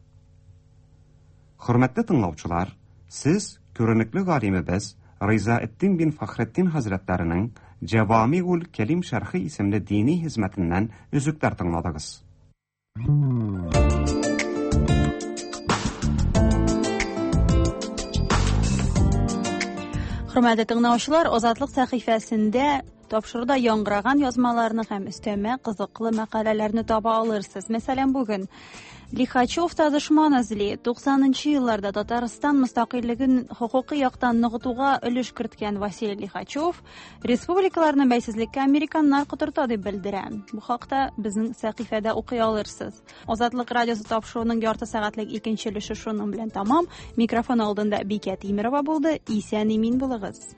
Хөрмәтле тыңлаучылар, сез күренекле галимебез Ризаэддин бин Фәхретдин хәзрәтләренең Җәвамигул Кәлим шәрхе исемле дини хезмәтеннән өзекләр тыңладыгыз. Хөрмәтле тыңлаучылар, Азатлык сәхифәсендә тапшыруда яңгыраган язмаларны һәм өстәмә кызыклы мәкаләләрне таба алырсыз. Мәсәлән, бүген Лихачев та дошман эзли. туксанынчы елларда Татарстан мөстәкыйльлеген хокукый яктан ныгытуга өлеш керткән Василий Лихачев республикаларны бәйсезлеккә американнар котырта дип белдерә. Бу хакта безнең сәхифәдә укый алырсыз. Азатлык радиосы тапшыруының ярты сәгатьлек икенче өлеше шуның белән тәмам. Микрофон алдында Бикә Тимирова булды. Исән-имин булыгыз.